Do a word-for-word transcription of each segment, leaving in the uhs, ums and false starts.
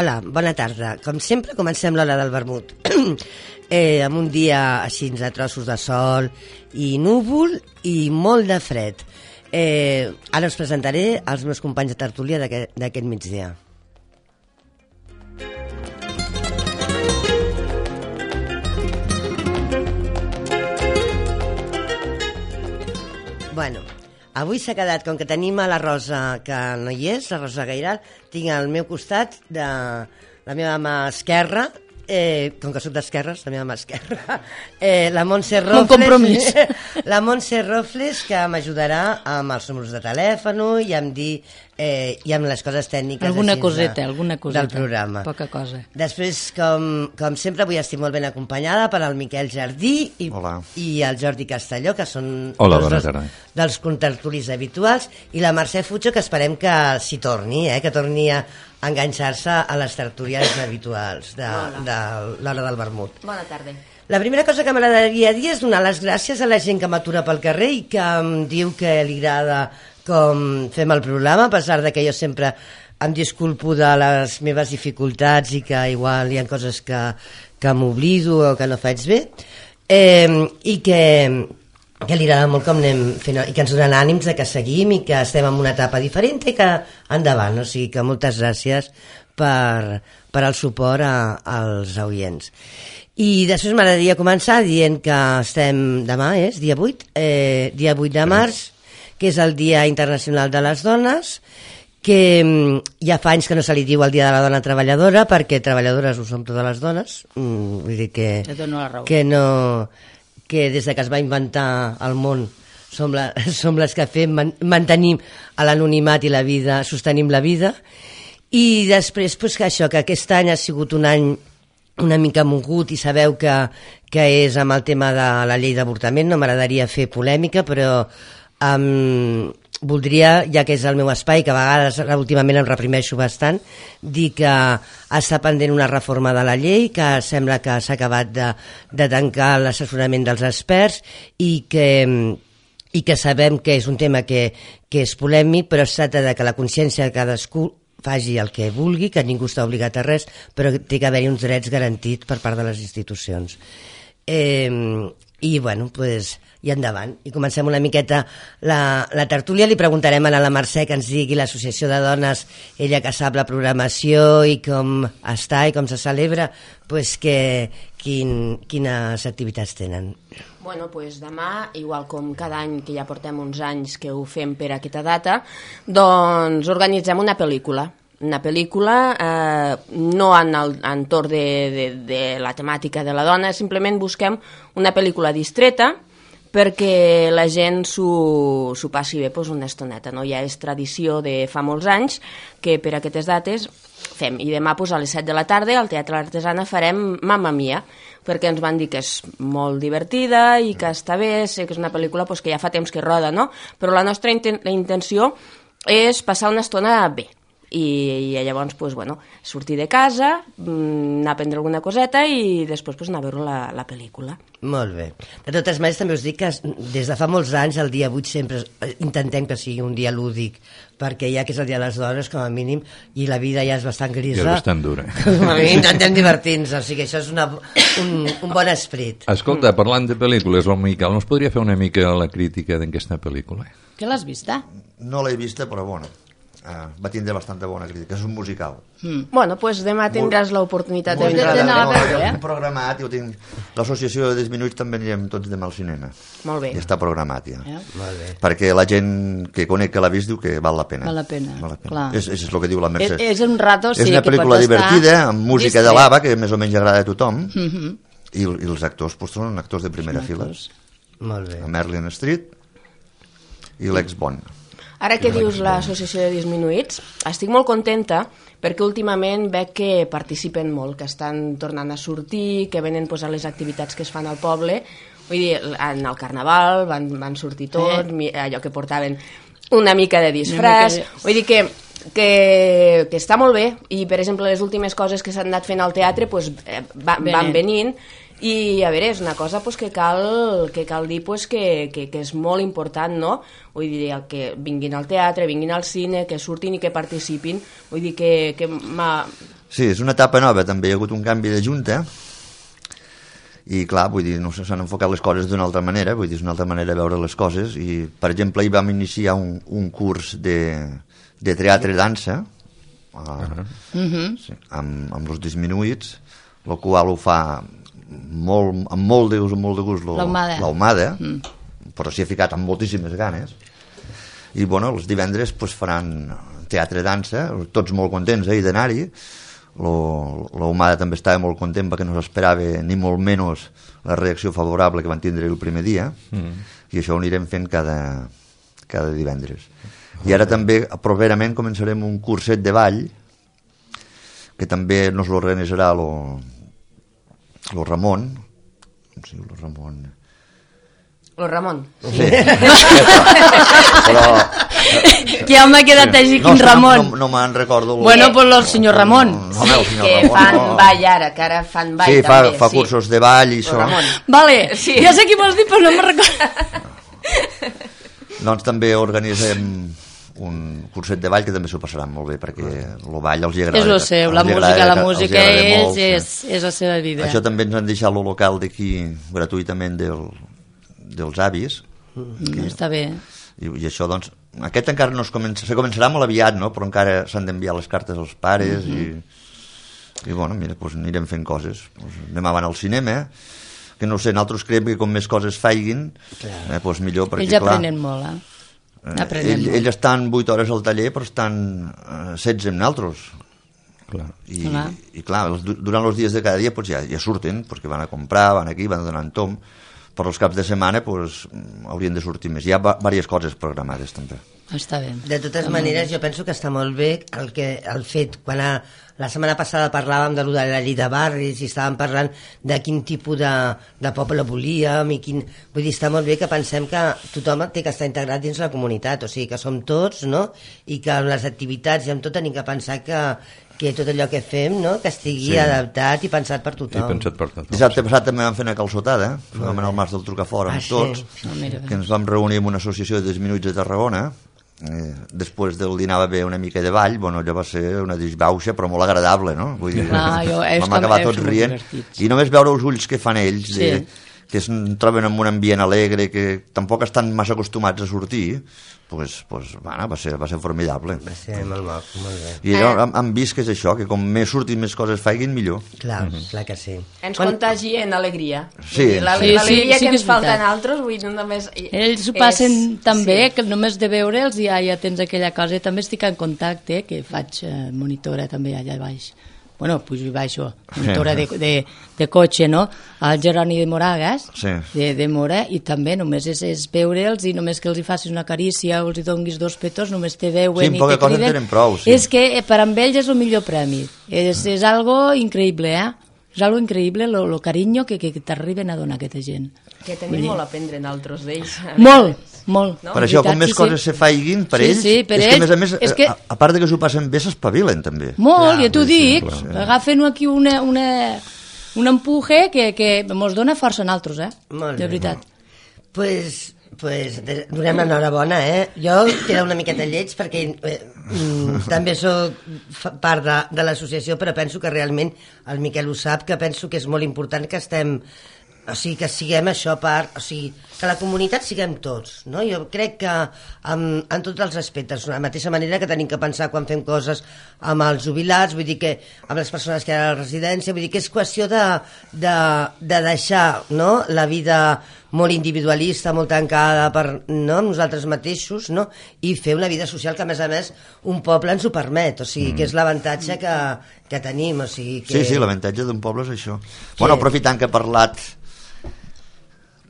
Hola, bona tarda. Com sempre, comencem l'hora del vermut. eh, amb un dia així a trossos de sol i núvol i molt de fred. Eh, ara us presentaré els meus companys de tertúlia d'aquest migdia. Bueno, avui s'ha quedat, com que tenim a la Rosa, que no hi és, la Rosa Gairal, tinc al meu costat de la meva mà esquerra, eh, com que soc d'esquerres, la meva mà esquerra, eh, la Montse Rofles, un compromís. la Montse Rofles, que m'ajudarà amb els números de telèfon i amb dir eh, i amb les coses tècniques alguna així, coseta, de, alguna coseta, del programa. Poca cosa. Després, com, com sempre, avui estic molt ben acompanyada per al Miquel Jardí i, i el Jordi Castelló, que són Hola, dos bona dels, tarda. dels contertulis habituals, i la Mercè Fucho, que esperem que s'hi torni, eh, que torni a enganxar-se a les tertúlies habituals de, de l'hora del vermut. Bona tarda. La primera cosa que m'agradaria dir és donar les gràcies a la gent que m'atura pel carrer i que em diu que li agrada com fem el programa, a pesar de que jo sempre em disculpo de les meves dificultats i que igual hi ha coses que, que m'oblido o que no faig bé, eh, i que, que li agrada molt com anem fent, i que ens donen ànims de que seguim i que estem en una etapa diferent i que endavant, o sigui que moltes gràcies per, per el suport a, als oients. I després m'agradaria començar dient que estem, demà és, dia vuit, eh, dia vuit de març, que és el Dia Internacional de les Dones, que ja fa anys que no se li diu el Dia de la Dona Treballadora, perquè treballadores ho som totes les dones, mm, vull dir que, que, no, que des de que es va inventar el món som, la, som les que fem, man, mantenim a l'anonimat i la vida, sostenim la vida, i després pues, que això, que aquest any ha sigut un any una mica mogut i sabeu que, que és amb el tema de la llei d'avortament, no m'agradaria fer polèmica, però Um, voldria, ja que és el meu espai, que a vegades últimament em reprimeixo bastant, dir que està pendent una reforma de la llei, que sembla que s'ha acabat de, de tancar l'assessorament dels experts i que, i que sabem que és un tema que, que és polèmic, però es tracta de que la consciència de cadascú faci el que vulgui, que ningú està obligat a res, però té que haver-hi uns drets garantits per part de les institucions. Eh, i bueno, pues, i endavant, i comencem una miqueta la, la tertúlia. Li preguntarem a la Mercè que ens digui l'associació de dones, ella que sap la programació i com està i com se celebra, pues que, quin, quines activitats tenen. Bueno, pues demà, igual com cada any, que ja portem uns anys que ho fem per aquesta data, doncs organitzem una pel·lícula. Una pel·lícula eh, no en el entorn de, de, de la temàtica de la dona, simplement busquem una pel·lícula distreta perquè la gent s'ho passi bé pues, una estoneta. No? Ja és tradició de fa molts anys que per aquestes dates fem. I demà pues, a les set de la tarda al Teatre L'Artesana farem Mamma Mia, perquè ens van dir que és molt divertida i que està bé, sé que és una pel·lícula pues, que ja fa temps que roda, no? Però la nostra inten la intenció és passar una estona bé. I, i llavors pues, bueno, sortir de casa, anar a prendre alguna coseta i després pues, anar a veure la, la pel·lícula. Molt bé. De totes maneres també us dic que des de fa molts anys el dia vuit sempre intentem que sigui un dia lúdic, perquè ja que és el dia de les dones com a mínim i la vida ja és bastant grisa, ja és bastant dura. Com a mínim intentem divertir-nos, o sigui això és una, un, un bon esperit. Escolta, parlant de pel·lícules, el Miquel ens podria fer una mica la crítica d'aquesta pel·lícula? Que l'has vista? No l'he vista, però bueno, Uh, va tindre bastanta bona crítica, és un musical. Mm. Bueno, doncs pues demà tindràs l'oportunitat de vindre a veure. Jo ho tinc programat, jo tinc... L'associació de Disminuïts també anirem tots demà al cinema. Molt bé. I està programat ja. Yeah. Molt bé. Perquè la gent que conec que l'ha vist diu que val la pena. Val la pena, val la pena. clar. És, és el que diu la Mercè. És, és un rato, sí, és una pel·lícula divertida, amb música distret. de lava, que més o menys agrada a tothom, Mm -hmm. i, i els actors pues, són actors de primera fila. Molt bé. Merlin Street i l'ex Bond. Ara que dius l'associació de disminuïts, estic molt contenta perquè últimament veig que participen molt, que estan tornant a sortir, que venen pues, a les activitats que es fan al poble. Vull dir, en el carnaval van, van sortir tots, eh? allò que portaven una mica de disfraç. Mica de... Vull dir que, que, que està molt bé i, per exemple, les últimes coses que s'han anat fent al teatre pues, va, van venint. I a veure, és una cosa pues, que, cal, que cal dir pues, que, que, que és molt important, no? Vull dir, que vinguin al teatre, vinguin al cine, que surtin i que participin. Vull dir que, que Sí, és una etapa nova, també hi ha hagut un canvi de junta, i clar, vull dir, no sé, s'han enfocat les coses d'una altra manera, vull dir, és una altra manera de veure les coses, i per exemple hi vam iniciar un, un curs de, de teatre i dansa, uh, uh -huh. sí, amb, amb els disminuïts, el qual ho fa molt, amb molt de gust, molt de gust l'Ahumada, mm. però s'hi ha ficat amb moltíssimes ganes, i bueno, els divendres pues, faran teatre i dansa, tots molt contents eh, d'anar-hi. L'Ahumada també estava molt content perquè no s'esperava ni molt menys la reacció favorable que van tindre el primer dia, mm. i això ho anirem fent cada, cada divendres. I ara també properament començarem un curset de ball que també nos l'organitzarà lo, lo Ramon, com es diu lo Ramon? Lo Ramon. Sí. Però que ja m'ha quedat així, no, quin Ramon. No, no, no me'n recordo. Bueno, pues el senyor Ramon. No, no, el senyor que Ramon, fan no. ball ara, que ara fan ball sí, també. Fa, fa sí, cursos de ball i això. Ramon. Vale, sí. Ja sé qui vols dir, però no me'n recordo. Doncs també organitzem un curset de ball que també s'ho passaran molt bé, perquè el ball els hi agrada. És el seu, la música, la música és, és, és la seva vida. Això també ens han deixat el local d'aquí gratuïtament del, dels avis. Mm, està bé. I, i això, doncs, aquest encara no es comença, se començarà molt aviat, no? Però encara s'han d'enviar les cartes als pares mm -hmm. i, i, bueno, mira, doncs anirem fent coses. Doncs anem avant al cinema, que no sé, nosaltres creiem que com més coses faiguin, eh, doncs millor, perquè, ells clar... aprenen molt, eh? Eh, ell, ells estan vuit hores al taller, però estan eh, setze amb nosaltres. Clar. I, clar. I clar, els, durant els dies de cada dia pues, ja, ja surten, perquè van a comprar, van aquí, van donant tom, però els caps de setmana pues, haurien de sortir més. Hi ha diverses coses programades també. Està bé. De totes maneres, jo penso que està molt bé el, que, el fet, quan a, la setmana passada parlàvem de, de la llei de barris i estàvem parlant de quin tipus de, de poble volíem i quin... Vull dir, està molt bé que pensem que tothom té que estar integrat dins la comunitat, o sigui, que som tots, no? I que en les activitats i amb tot tenim que pensar que que tot allò que fem, no? Que estigui sí. adaptat i pensat per tothom. I pensat per tothom. Dissabte passat també vam fer una calçotada, eh? Vam anar al Mas del Trucafort amb ah, tots, sí. no, que ens vam reunir amb una associació de disminuïts de Tarragona. Eh, després del dinar va haver una mica de ball, bueno, allò va ser una disbauxa però molt agradable, no? Vull dir, ah, jo, vam acabar tots rient i només veure els ulls que fan ells sí. de, que es troben en un ambient alegre, que tampoc estan massa acostumats a sortir, pues, pues, bueno, va, ser, va ser formidable. Va ser molt maco, molt bé. I allò, hem, hem vist que és això, que com més surtin més coses faiguin, millor. Clar, uh -huh. clar que sí. Ens Quan... contagien alegria. Sí. L'alegria sí, sí, sí, que ens que falta a altres, vull dir, no només... Ells ho passen és... tan bé sí. que només de veure'ls ja, ja tens aquella cosa. També estic en contacte, que faig eh, monitora també allà baix. Bueno, pujo i baixo, monitora de, de, de cotxe, no? Al Jeroni de Moragas, sí. de, de Mora, i també només és, és veure'ls i només que els hi facis una carícia o els hi donguis dos petons, només te veuen sí, i te criden. Tenen prou, sí. És que eh, per amb ells és el millor premi. És, és algo increïble, eh? És algo increïble, lo, lo carinyo que, que t'arriben a donar aquesta gent. Que tenim molt a aprendre en altres d'ells. Molt, molt. No? Per això, com més sí, coses sí. se faiguin per sí, ells, sí, per és ells, que, a més a més, és que... a, a part de que s'ho passen bé, s'espavilen, també. Molt, clar, ja t'ho dic. Sí. Agafen aquí una, una, un empuje que, que mos dona força en altres, eh? Molt de bé. veritat. Pues, pues donem l'enhorabona, eh? Jo queda una miqueta lleig perquè eh, mm, també soc part de, de l'associació, però penso que realment, el Miquel ho sap, que penso que és molt important que estem... O sigui, que siguem això part... O sigui, que la comunitat siguem tots, no? Jo crec que en, en tots els aspectes, de la mateixa manera que tenim que pensar quan fem coses amb els jubilats, vull dir que amb les persones que hi ha a la residència, vull dir que és qüestió de, de, de deixar, no?, la vida molt individualista, molt tancada per no, nosaltres mateixos, no?, i fer una vida social que, a més a més, un poble ens ho permet, o sigui, mm. que és l'avantatge que, que tenim, o sigui que... Sí, sí, l'avantatge d'un poble és això. Que... Bueno, aprofitant que he parlat...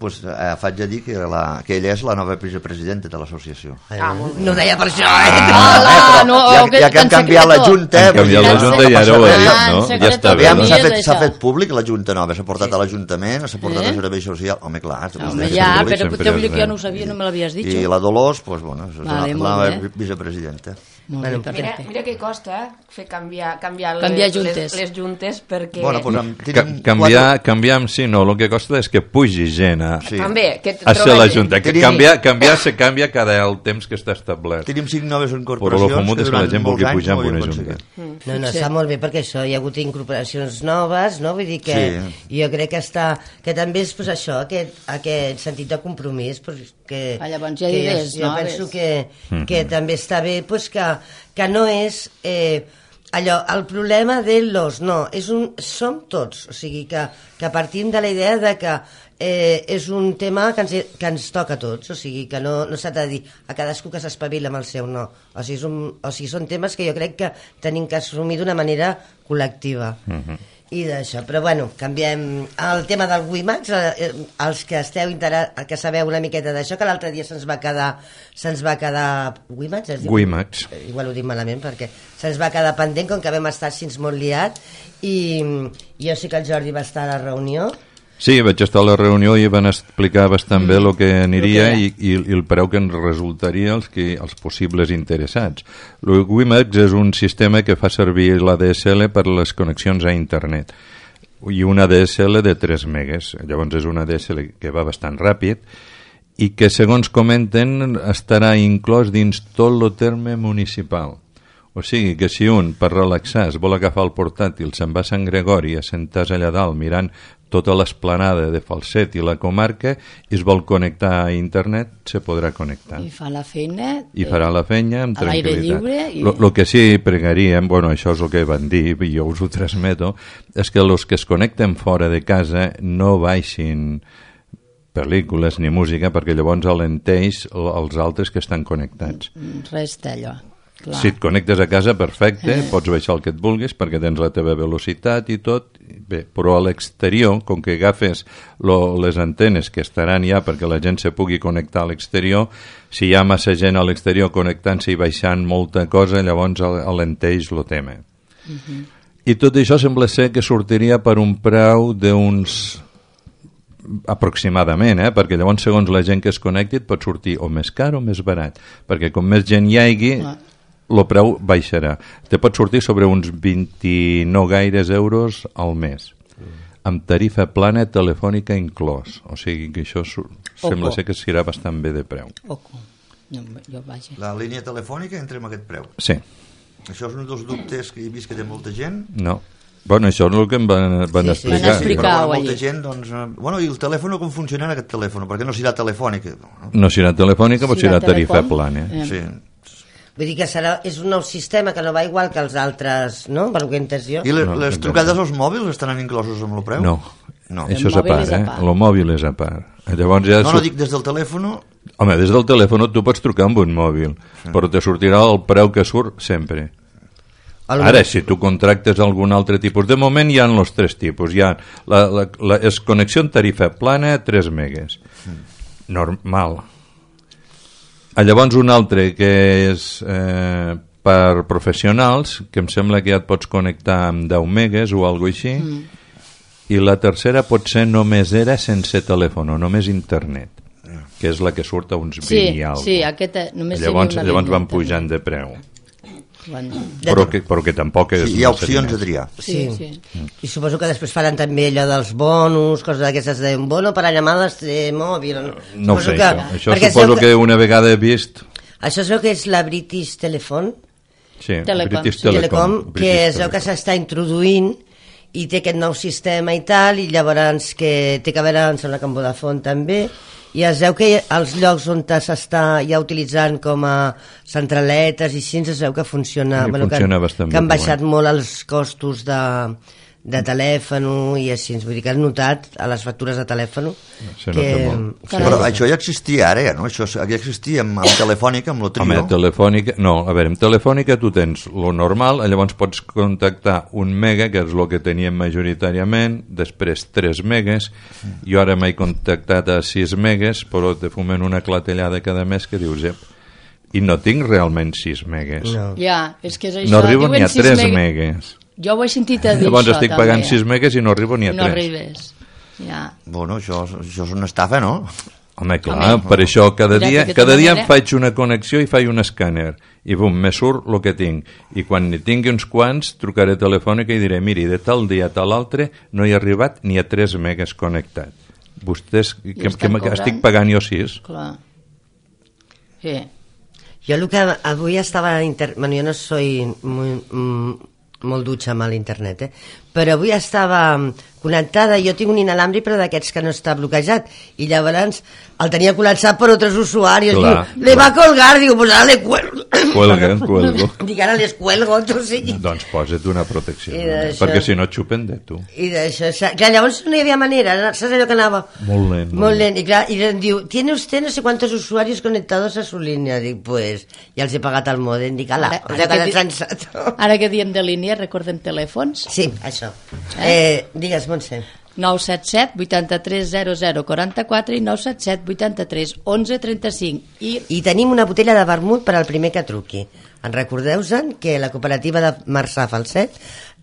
Pues, eh, faig a dir que, la, que ella és la nova vicepresidenta de l'associació. Ah, no ho deia per això, eh? Ah, no, ja, ja que hem canviat la Junta... Hem canviat la Junta i ara ho ha dit, no? Ja està bé. S'ha fet, s'ha fet públic la Junta nova, s'ha portat a l'Ajuntament, s'ha portat a Servei Social... Home, clar... Home, ja, però potser que jo no ho sabia, no me l'havies dit. I la Dolors, pues, bueno, és la nova vicepresidenta. Molt Bueno, bé, Mira, perfecte. mira què costa fer canviar, canviar, Canviar les, juntes. les, les juntes perquè... Bueno, pues, amb, Ca canviar, canviar amb si no, el que costa és que pugi gent a, Sí. També, que a ser troba la gent. Junta. Que Tenim- canviar, canviar se canvia cada el temps que està establert. tenim cinc noves Però lo incorporacions famut que és que la durant gent molts vulgui anys pujar no amb ho una havíem junta. aconseguit. No, no, Sí. està molt bé perquè això, hi ha hagut incorporacions noves, no? Vull dir que Sí. jo crec que està, que també és pues, això, aquest, aquest sentit de compromís, pues, que, Ah, llavors hi ha que idees jo, jo noves. penso que, que també està bé pues, que, que no és eh, allò, el problema de los, no, és un, som tots, o sigui que, que partim de la idea de que eh, és un tema que ens, que ens toca a tots, o sigui que no, no s'ha de dir a cadascú que s'espavila amb el seu, no, o sigui, és un, o sigui són temes que jo crec que tenim que assumir d'una manera col·lectiva. I d'això, però bueno, canviem el tema del WiMAX, eh, eh, els que esteu intera que sabeu una miqueta d'això, que l'altre dia se'ns va quedar se'ns va quedar WiMAX, es diu? WiMAX. Eh, igual ho dic malament perquè se'ns va quedar pendent com que vam estar així molt liat i jo sé que el Jordi va estar a la reunió. Sí, vaig estar a la reunió i van explicar bastant bé el que aniria Lo que i, i, i el preu que ens resultaria als, que, als possibles interessats. El WiMAX és un sistema que fa servir l'A D S L per les connexions a internet i una A D S L de tres megues. Llavors és una A D S L que va bastant ràpid i que, segons comenten, estarà inclòs dins tot el terme municipal. O sigui que si un, per relaxar, es vol agafar el portàtil, se'n va a Sant Gregori, a sentar allà dalt mirant tota l'esplanada de Falset i la comarca i es vol connectar a internet, se podrà connectar. I fa la feina... I farà la feina amb a l'aire tranquil·litat. lliure i- Lo, lo que sí pregaríem, bueno, això és el que van dir i jo us ho transmeto, és que els que es connecten fora de casa no baixin pel·lícules ni música perquè llavors alenteix els altres que estan connectats. Res d'allò. Clar. Si et connectes a casa, perfecte, pots baixar el que et vulguis perquè tens la teva velocitat i tot, bé, però a l'exterior, com que agafes lo, les antenes que estaran ja perquè la gent se pugui connectar a l'exterior, si hi ha massa gent a l'exterior connectant-se i baixant molta cosa, llavors al- alenteix el tema. Uh-huh. I tot això sembla ser que sortiria per un preu d'uns aproximadament, eh? Perquè llavors segons la gent que es connecti et pot sortir o més car o més barat, perquè com més gent hi hagi Clar. el preu baixarà. Te pot sortir sobre uns vint-i-nou gaires euros al mes, amb tarifa plana telefònica inclòs, o sigui que això su- sembla ser que serà bastant bé de preu. Oco. No, jo vaja. La línia telefònica entra amb aquest preu. Sí, Això és un dels dubtes que he vist que té molta gent. no. Bueno, això és el que em van, van Sí, sí. explicar. Van explicar. però allí. molta gent, doncs... eh, Bueno, i el telèfon com funcionarà aquest telèfon? Perquè no serà telefònica. No? No serà telefònica, però serà Serà tarifa telecom? plana. Eh. Sí. Vull dir que serà, és un nou sistema que no va igual que els altres, no? Per lo que he entès jo. I les, No, les no, trucades als mòbils estaran inclosos amb el preu? No, No. això és El a mòbil part, és a eh? part. El mòbil és a part. Llavors ja No, no, surt- dic des del telèfon... Home, des del telèfon tu pots trucar amb un mòbil, sí. però te sortirà el preu que surt sempre. El- Ara, si tu contractes algun altre tipus, de moment hi ha els tres tipus. Hi ha la, la, la, és connexió en tarifa plana, tres megues. Normal. Ah, llavors un altre que és eh, per professionals, que em sembla que ja et pots connectar amb deu megues o alguna així, mm. i la tercera potser només era sense telèfon, només internet, que és la que surt a uns vint Sí, i alguna. sí, aquesta només Llavors, seria una llavors línia, van també. pujant de preu. Van... Però que, però que tampoc és... Sí, hi ha massa opcions diners. a triar. Sí, Sí. sí. I suposo que després faran també allò dels bonus, coses d'aquestes de un bono per a llamadas de mòbil. No ho Suposo sé, que, això. Això perquè es suposo veu que una vegada he vist... Això es veu que és la British Telephone, Sí, Telecom, British sí. Telecom. Telecom, que British es veu que Telecom. s'està introduint i té aquest nou sistema i tal, i llavors que té que veure, em sembla que amb Vodafone també, i es veu que els llocs on s'està ja utilitzant com a centraletes i així, es veu que funciona, Sí, bueno, funciona que, bastant que han bé, baixat bueno. molt els costos de, de telèfon i així, vull dir que han notat a les factures de telèfon Se que... nota molt. que Però això ja existia ara, ja, no? Això ja existia amb, amb Telefònica, amb el trio. Home, telefònica... No, a veure, amb telefònica tu tens lo normal, llavors pots contactar un mega, que és el que teníem majoritàriament, després tres megues, jo ara m'he contactat a sis megues, però te fumen una clatellada cada mes que dius, ep, i no tinc realment sis megues. No. Ja, és que és això. No arribo ni Diuen a sis tres meg- megues. Jo ho he sentit a dir Llavors això, estic també. pagant sis megues i no arribo ni a No tres. arribes. Ja. Bueno, això, això és una estafa, no? Home, clar, per això cada dia, cada dia em faig una connexió i faig un escàner i bum, me surt el que tinc i quan n'hi tingui uns quants trucaré telefònica i diré, miri, de tal dia a tal altre no hi ha arribat ni a tres megas connectat. Vostès, que, que, que estic pagant jo sis. Clar. Sí. Jo el que avui estava... Inter... Bueno, jo no soy muy, mm, molt dutxa amb l'internet, eh? Però avui estava connectada, jo tinc un inalàmbric però d'aquests que no està bloquejat i llavors el tenia col·lapsat per altres usuaris. Clar, diu, le va a colgar, diu, pues ara le cuelgo. Cuelga, cuelgo. Dic, ara les cuelgo, tu sí. Doncs posa't una protecció, perquè si no et xupen de tu. I d'això, clar, llavors no hi havia manera, saps allò que anava? Molt lent. Molt lent, i clar, i em diu, ¿tiene usted no sé cuántos usuarios conectados a su línia? Dic, pues, ja els he pagat el modem, dic, ala, ara, ara, que, que di sensato. Ara que diem de línia, recordem telèfons? Sí, això. Eh? Eh, digues, Montse. nou set set, vuitanta-tres, zero zero, quaranta-quatre i nou set set, vuitanta-tres, onze, trenta-cinc. I... I tenim una botella de vermut per al primer que truqui. En recordeu-se'n que la cooperativa de Marçà Falset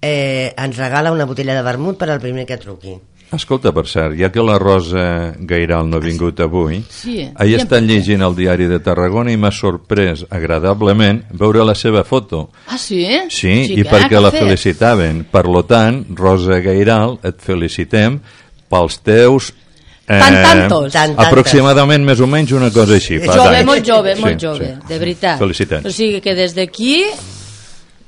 eh, ens regala una botella de vermut per al primer que truqui. Escolta, per cert, ja que la Rosa Gairal no ha vingut avui, sí, ahir està llegint el diari de Tarragona i m'ha sorprès agradablement veure la seva foto. Ah, sí? Sí, i perquè la felicitaven. Per lo tant, Rosa Gairal, et felicitem pels teus... Eh, tant tantos. Aproximadament, més o menys, una cosa així. Jove, molt jove, molt jove, de veritat. Felicitats. O sigui que des d'aquí...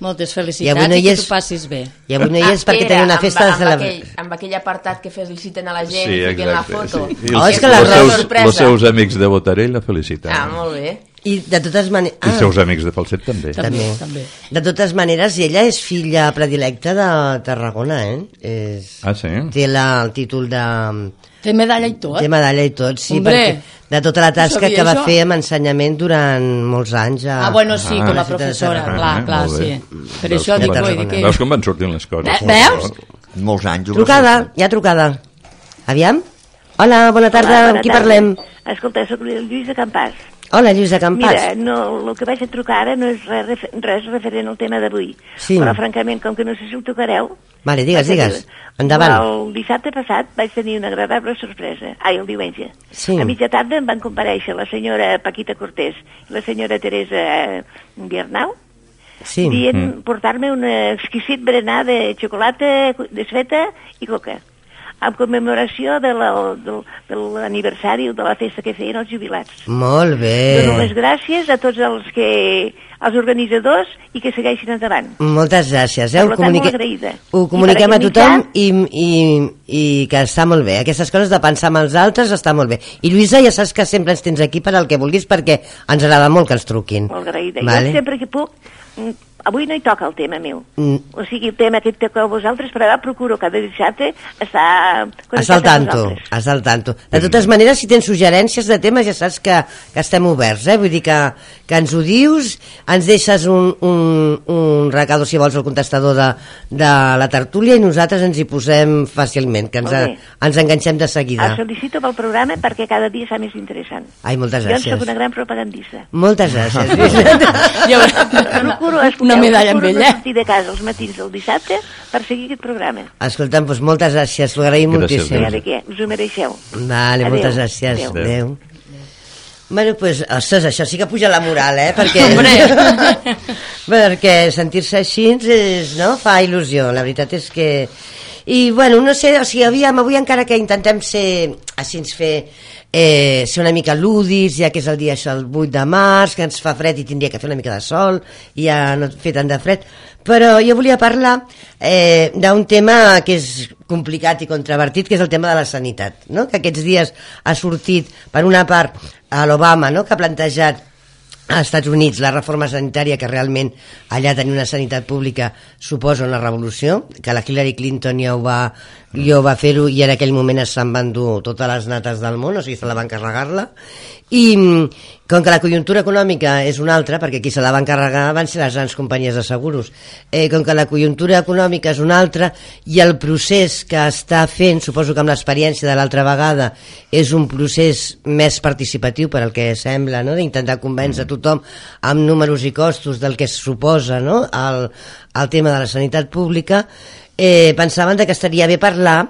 Moltes felicitats i, no i que és... tu passis bé. I avui no hi és ah, perquè tenia una festa amb, de celebració. Amb, aquell, amb aquell apartat que feliciten a la gent sí, i fiquen la foto. Sí. I oh, els, és que la els, seus, els seus amics de Botarell la feliciten. Ah, molt bé. I de totes maneres... Ah, I els seus amics de Falset també. També, també. De totes maneres, ella és filla predilecta de Tarragona, eh? És... Ah, sí? Té la, el títol de... Té medalla i tot? Té medalla i tot, sí, Hombre, perquè de tota la tasca que va això? fer amb ensenyament durant molts anys. A... Ah, bueno, sí, ah, com a professora, ah, clar, clar, sí. Per veus això dic, van, que... Veus com van sortint les coses? Veus? Molts anys. Trucada, hi ha trucada. Aviam? Hola, bona tarda, Hola, amb qui tarda. parlem? Escolta, soc el Lluís de Campàs. Hola, Lluís de Campàs. Mira, no, el que vaig a trucar ara no és res, res referent al tema d'avui, sí. Però francament, com que no sé si ho tocareu... Vale, digues, digues, endavant. El dissabte passat vaig tenir una agradable sorpresa, ai, el diumenge. Sí. A mitja tarda em van comparèixer la senyora Paquita Cortés i la senyora Teresa Biernau, sí. dient mm. portar-me un exquisit berenar de xocolata desfeta i coca, en commemoració de la, de, de l'aniversari de la festa que feien els jubilats. Molt bé. Dono les gràcies a tots els que els organitzadors i que segueixin endavant. Moltes gràcies. Eh? Per tant, molt agraïda. Ho comuniquem a tothom i, i, i que està molt bé. Aquestes coses de pensar en els altres està molt bé. I Lluïsa, ja saps que sempre ens tens aquí per al que vulguis perquè ens agrada molt que ens truquin. Molt agraïda. Vale. Jo sempre que puc... Avui no hi toca el tema meu. Mm. O sigui, el tema que toca a vosaltres, però procuro cada dissabte estar connectat al tanto, amb vosaltres. Al tanto. De totes maneres, si tens suggerències de temes, ja saps que, que estem oberts, eh? Vull dir que, que ens ho dius, ens deixes un, un, un recado, si vols, al contestador de, de la tertúlia i nosaltres ens hi posem fàcilment, que ens, a, ens enganxem de seguida. El felicito pel programa perquè cada dia serà més interessant. Ai, moltes gràcies. Jo en soc una gran propagandista. Moltes gràcies. Jo procuro una medalla amb ella. Sortir de casa els matins del dissabte per seguir aquest programa. Escolta'm, doncs moltes gràcies, t'ho agraïm moltíssim. Ja de què, us ho mereixeu. Vale, adeu. Moltes gràcies. Adéu. Adéu. Bueno, pues, ostres, això sí que puja la moral, eh? Perquè, perquè sentir-se així és, no? Fa il·lusió, la veritat és que... I, bueno, no sé, o sigui, aviam, avui encara que intentem ser, així ens fer, eh, ser una mica lúdics, ja que és el dia això, el vuit de març, que ens fa fred i tindria que fer una mica de sol, i ja no fer tant de fred, però jo volia parlar eh, d'un tema que és complicat i controvertit, que és el tema de la sanitat, no? Que aquests dies ha sortit, per una part, a l'Obama, no? Que ha plantejat als Estats Units la reforma sanitària, que realment allà tenir una sanitat pública suposa una revolució, que la Hillary Clinton ja ho va, ja ho va fer-ho i en aquell moment se'n van dur totes les nates del món, o sigui, se la van carregar-la, i com que la conjuntura econòmica és una altra, perquè qui se la van carregar van ser les grans companyies de seguros, eh, com que la conjuntura econòmica és una altra i el procés que està fent, suposo que amb l'experiència de l'altra vegada, és un procés més participatiu per al que sembla, no? D'intentar convèncer tothom amb números i costos del que es suposa, no? el, el tema de la sanitat pública, eh, pensaven que estaria bé parlar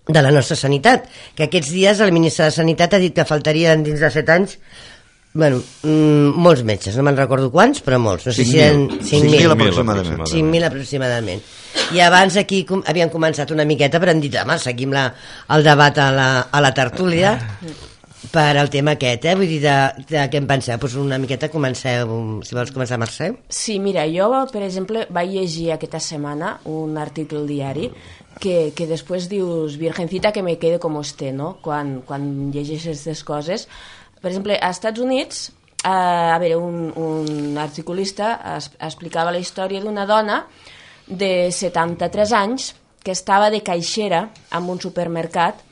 de la nostra sanitat, que aquests dies el ministre de Sanitat ha dit que faltarien dins de set anys bueno, mm, molts metges, no me'n recordo quants, però molts, no sé si eren cinc mil aproximadament. cinc mil aproximadament. I abans aquí com, havien començat una miqueta, però han dit, home, seguim la, el debat a la, a la tertúlia per al tema aquest, eh? Vull dir, de, de què en penseu? Pues una miqueta comenceu, si vols començar, Mercè. Sí, mira, jo, per exemple, vaig llegir aquesta setmana un article al diari que, que després dius, virgencita que me quede com esté, no? Quan, quan llegeixes aquestes coses. Per exemple, als Estats Units, eh, a veure, un, un articulista es, explicava la història d'una dona de setanta-tres anys que estava de caixera en un supermercat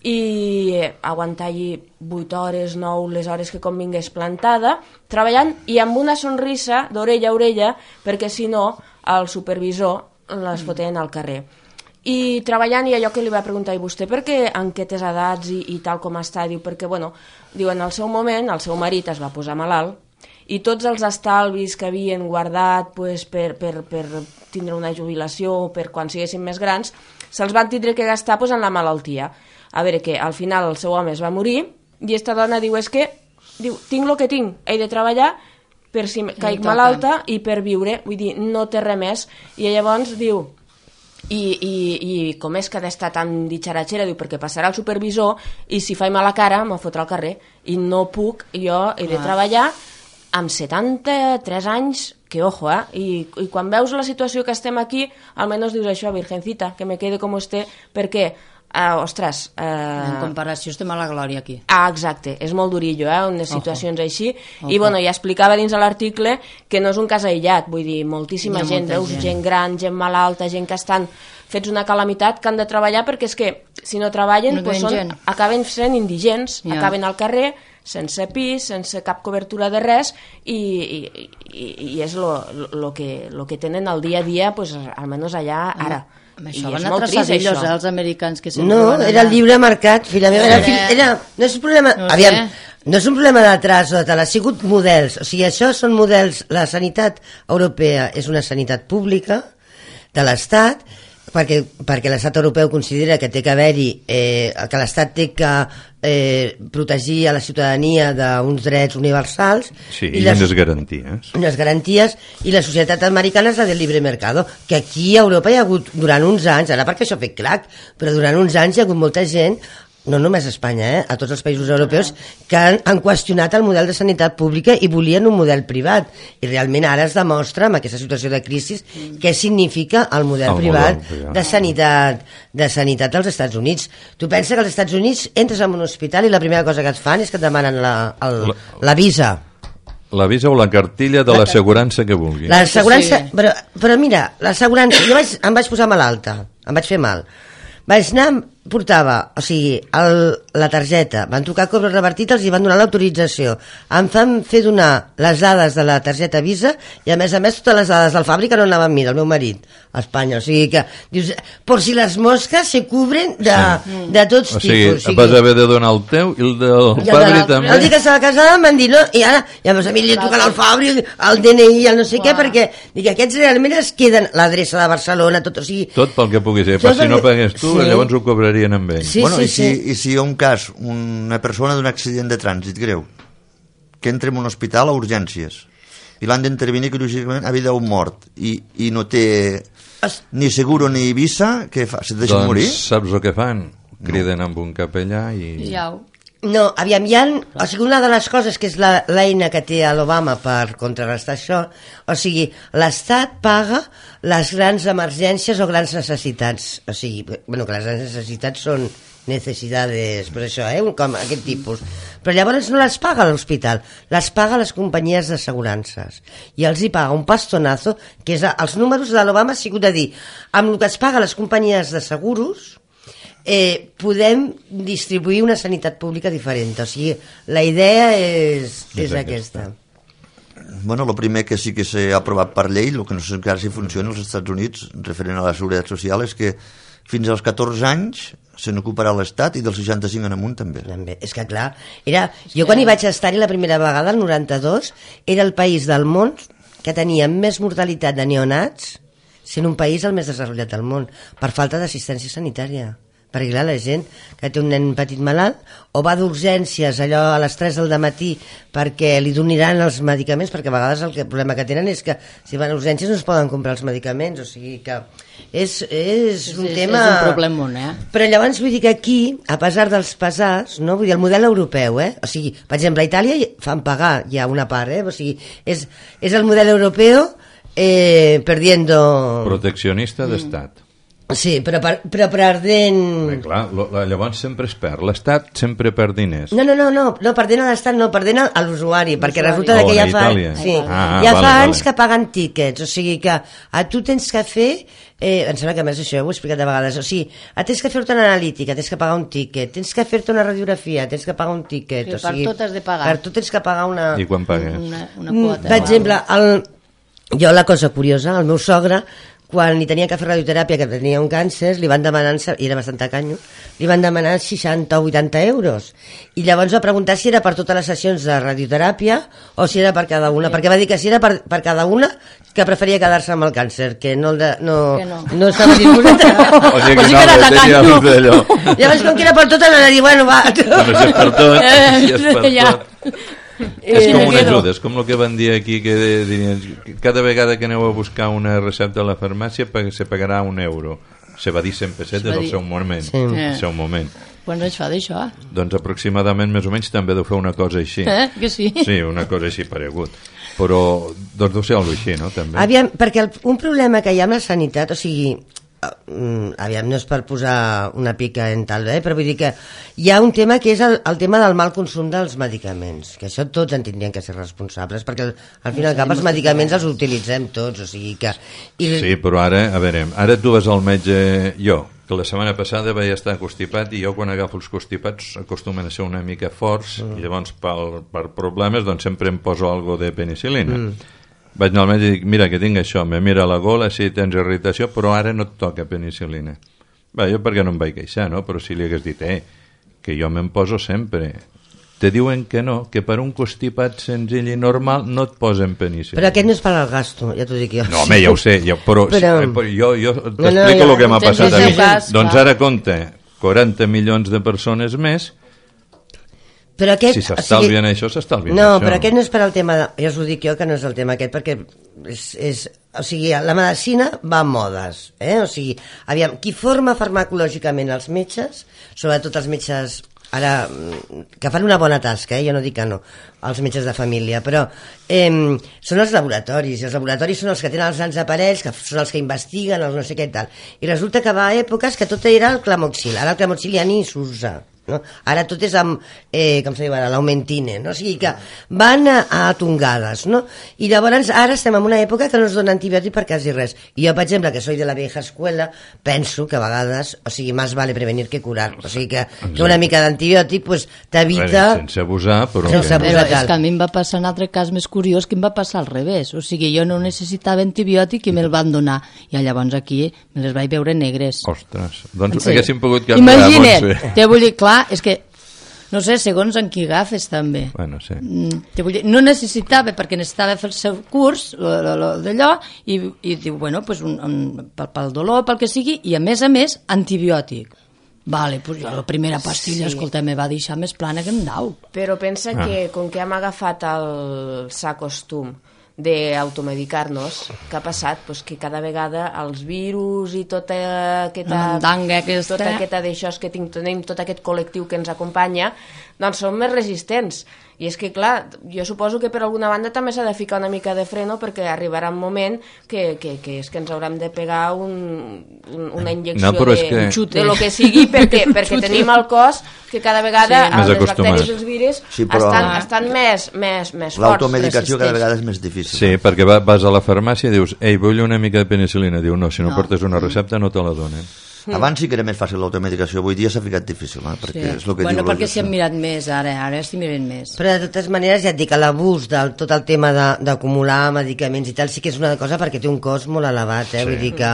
i aguantar allí vuit hores, nou, les hores que convingués plantada, treballant i amb una sonrisa d'orella a orella, perquè si no el supervisor les foten al carrer. I treballant, i allò que li va preguntar, i vostè per què en aquestes edats i, i tal com està? Diu, perquè, bueno, diu, en el seu moment el seu marit es va posar malalt i tots els estalvis que havien guardat pues, per, per, per tindre una jubilació o per quan siguessin més grans, se'ls van tindre que gastar pues, en la malaltia. A veure, que al final el seu home es va morir i esta dona diu, és que diu, tinc el que tinc, he de treballar per si caic malalta i per viure, vull dir, no té res més. I llavors diu, I, i, i com és que ha d'estar tan ditxaratxera, diu, perquè passarà el supervisor i si faig mala cara me fotrà al carrer i no puc, jo he de treballar amb setanta-tres anys, que ojo, eh? I, i quan veus la situació que estem aquí, almenys dius això, virgencita, que me quede com esté, perquè Uh, ostres... Uh... En comparació estem a la glòria aquí. Ah, exacte, és molt durillo, eh, unes situacions Ojo. així. Ojo. I bueno, ja explicava dins de l'article que no és un cas aïllat, vull dir, moltíssima gent, veus gent. gent gran, gent malalta, gent que estan fets una calamitat, que han de treballar perquè és que si no treballen, no pues són, acaben sent indigents, ja. acaben al carrer, sense pis, sense cap cobertura de res, i, i, i, i és el que, lo que tenen al dia a dia, pues, almenys allà ara. Amb això van a traçar-los els americans que sempre no, era el lliure mercat, filla meva, era, era, era, no és un problema, no aviam, no és un problema de traç o de tal, ha sigut models, o sigui, això són models, la sanitat europea és una sanitat pública de l'Estat, perquè, perquè l'estat europeu considera que té que haver-hi, eh, que l'estat té que eh, protegir a la ciutadania d'uns drets universals. Sí, i, i les, unes garanties. Unes garanties, i la societat americana és la del libre mercado, que aquí a Europa hi ha hagut durant uns anys, ara perquè això ha fet clac, però durant uns anys hi ha hagut molta gent, no només a Espanya, eh, a tots els països europeus, que han, han qüestionat el model de sanitat pública i volien un model privat. I realment ara es demostra, amb aquesta situació de crisi, què significa el model el privat model, de sanitat de sanitat als Estats Units. Tu penses que als Estats Units entres en un hospital i la primera cosa que et fan és que et demanen la, el, la, la visa. La visa o la cartilla de l'assegurança que vulguis. L'assegurança, sí. però, però mira, l'assegurança, jo vaig, em vaig posar malalta, em vaig fer mal. Vaig anar, portava, o sigui, el, la targeta, van trucar a cobres revertit, els hi van donar l'autorització. Em fan fer donar les dades de la targeta Visa i, a més a més, totes les dades del fàbrica no anaven amb mi, del meu marit, a Espanya. O sigui que, dius, por si les mosques se cubren de, sí. de tots o sigui, tipus. O sigui, vas haver de donar el teu i el del i Fabri de la, també. El dia que estava casada em van dir, no, i ara, i a més a mi li truquen al Fabri, el D N I, el no sé Uà. què, perquè dic, aquests realment es queden l'adreça de Barcelona, tot, o sigui... Tot pel que pugui ser, però si no pagués tu, sí. llavors ho cobrarien amb ell. Sí, bueno, sí, i, si, sí. i si hi ha un cas, una persona d'un accident de trànsit greu, que entra en un hospital a urgències, i l'han d'intervenir quirúrgicament a vida o mort, i, i no té ni seguro ni visa, què fa? Se deixen doncs, morir? Saps el que fan? Criden no. amb un capellà i... Ja. No, aviam, hi ha, o sigui, una de les coses que és l'eina que té l'Obama per contrarrestar això, o sigui, l'Estat paga les grans emergències o grans necessitats, o sigui, bueno, que les grans necessitats són necessitats, pues això, eh, com aquest tipus, però llavors no les paga l'hospital, les paga les companyies d'assegurances, i els hi paga un pastonazo, que és, els números de l'Obama ha sigut de dir, amb el que es paga les companyies de seguros, Eh, podem distribuir una sanitat pública diferent, o sigui, la idea és, és, és aquesta. Bueno, el primer que sí que s'ha aprovat per llei, el que no sé encara si funciona als Estats Units, referent a la seguretat social, és que fins als catorze anys se n'ocuparà l'Estat i dels seixanta-cinc en amunt també. també. És que clar, era, jo quan hi vaig estar-hi la primera vegada, el noranta-dos, era el país del món que tenia més mortalitat de neonats, sent un país el més desenvolupat del món, per falta d'assistència sanitària. perquè clar, la gent que té un nen petit malalt o va d'urgències allò a les tres del matí perquè li donaran els medicaments, perquè a vegades el, que, el problema que tenen és que si van a urgències no es poden comprar els medicaments, o sigui que és, és un és, tema... És un problema, eh? Però llavors vull dir que aquí, a pesar dels pesars, no? Vull dir, el model europeu, eh? O sigui, per exemple, a Itàlia fan pagar ja una part, eh? O sigui, és, és el model europeu eh, perdiendo... Proteccionista d'estat. Sí, però, per, però perdent... Bé, clar, lo, la, llavors sempre es perd. L'Estat sempre perd diners. No, no, no, no, no perdent a l'Estat, no, perdent a l'usuari, perquè resulta Oh, que ja a fa, Itàlia. sí, Ah, ja vale, fa vale. anys que paguen tíquets, o sigui que a tu tens que fer, eh, em sembla que a més això ja ho he explicat de vegades, o sigui, tens que fer-te una analítica, tens que pagar un tíquet, tens que fer-te una radiografia, tens que pagar un tíquet, Sí, o sigui, per tot has de pagar. per tot tens que pagar una... I quan pagues? Una, una Mm, quota. per exemple, el, jo la cosa curiosa, el meu sogre, quan li tenia que fer radioteràpia, que tenia un càncer, li van demanar, i era bastant tacanyo, li van demanar seixanta o vuitanta euros. I llavors va preguntar si era per totes les sessions de radioteràpia o si era per cada una, perquè va dir que si era per, per cada una, que preferia quedar-se amb el càncer, que no, el de, no, Que no. no estava disposat. O sigui que sí no, que era no tenia tacanyo. un d'allò. Llavors, com que era per totes, anava a dir, bueno, va... Bueno, si és per tot, si és per Ja. tot. Eh, És com me una quedo. ajuda, és com el que van dir aquí, que dirien, cada vegada que aneu a buscar una recepta a la farmàcia pa- se pagarà un euro. Se va dir cent pessetes va al dir. seu moment. Sí. Al seu moment. Quants anys fa d'això? Doncs aproximadament, més o menys, també deu fer una cosa així. Eh? Que sí? Sí, una cosa així paregut. Però, doncs deu ser alguna així, no? També. Aviam, perquè el, un problema que hi ha amb la sanitat, o sigui, uh, aviam, no és per posar una pica en tal, eh? Però vull dir que hi ha un tema que és el, el tema del mal consum dels medicaments, que això tots en tindrien que ser responsables, perquè al, al fin i al cap els medicaments els utilitzem tots, o sigui que... I, Sí, però ara, a veure, ara tu vas al metge, jo, que la setmana passada vaig estar constipat i jo quan agafo els constipats acostumen a ser una mica forts mm. i llavors per, per problemes doncs sempre em poso algo de penicil·lina. Mm. Vaig anar al metge i dic, mira que tinc això, me mira la gola, sí, tens irritació, però ara no et toca penicil·lina. Bé, jo perquè no em vaig queixar, no? Però si li hagués dit, eh, que jo me'n poso sempre. Te diuen que no, que per un constipat senzill i normal no et posen penicil·lina. però aquest no és per al gasto, ja t'ho dic jo. No, home, ja ho sé, ja, però, Però- però... però jo, jo t'explico no, el ja, que m'ha tens passat el a seu mi. cas, Doncs clar. ara compta quaranta milions de persones més, Però aquest, si s'estalvien això, s'estalvien no, això. però aquest no és per al tema de, ja us ho dic jo que no és el tema aquest, perquè és, és, o sigui, la medicina va a modes, eh? O sigui, aviam, qui forma farmacològicament els metges, sobretot els metges ara, que fan una bona tasca, eh? Jo no dic que no, els metges de família, però eh, són els laboratoris, i els laboratoris són els que tenen els grans aparells, que són els que investiguen, els no sé què i tal, i resulta que va a èpoques que tot era el clamoxil, ara el clamoxil ja ni s'usa, no? Ara tot és amb, eh, com se diu ara, l'aumentine, no? O sigui que van a, a tongades, no? I llavors ara estem en una època que no es dona antibiòtic per quasi res. I jo, per exemple, que soy de la vieja escuela, penso que a vegades, o sigui, más vale prevenir que curar. O sigui que, que una mica d'antibiòtic pues, t'evita... Sense abusar, però... Sense que- abusar. Però és tal. que a mi em va passar un altre cas més curiós que em va passar al revés. O sigui, jo no necessitava antibiòtic i me'l van donar. I llavors aquí me les vaig veure negres. Ostres, doncs Sí. haguéssim pogut canviar, Imagina't, Montse. te vull dir, clar, és que, no sé, segons en qui agafes també. Bueno, sí. Mm, te vull dir, no necessitava, perquè necessitava fer el seu curs, lo, lo, lo d'allò, i, i diu, bueno, pues un, un, pel, pel dolor, pel que sigui, i a més a més, antibiòtic. Vale, pues jo la primera pastilla, Sí. escolta, me va deixar més plana que un dau. Però pensa Ah. que com que hem agafat el sa costum d'automedicar-nos, què ha passat? Pues que cada vegada els virus i tota aquesta... La mandanga aquesta. Tota aquesta d'això que tinc, tenim tot aquest col·lectiu que ens acompanya, doncs són més resistents. I és que, clar, jo suposo que per alguna banda també s'ha de ficar una mica de freno perquè arribarà un moment que, que, que és que ens haurem de pegar un, un, una injecció No, però de, és que- Un xute. de lo que sigui perquè, perquè tenim al cos que cada vegada Sí. Més les acostumat. bacteris i els virus Sí, però- estan, estan més, més, més forts. L'automedicació cada resistents. vegada és més difícil. Sí, perquè va, vas a la farmàcia i dius, ei, vull una mica de penicil·lina. Diu, no, si no, No. portes una recepta no te la donen. Abans sí que era més fàcil l'automedicació, avui dia s'ha ficat difícil, eh? perquè és el que bueno, diu perquè la s'hi han mirat més, ara, ara s'hi miren més. Però de totes maneres ja et dic que l'abús de tot el tema de- d'acumular medicaments i tal sí que és una cosa perquè té un cost molt elevat, eh? Sí. Vull dir que,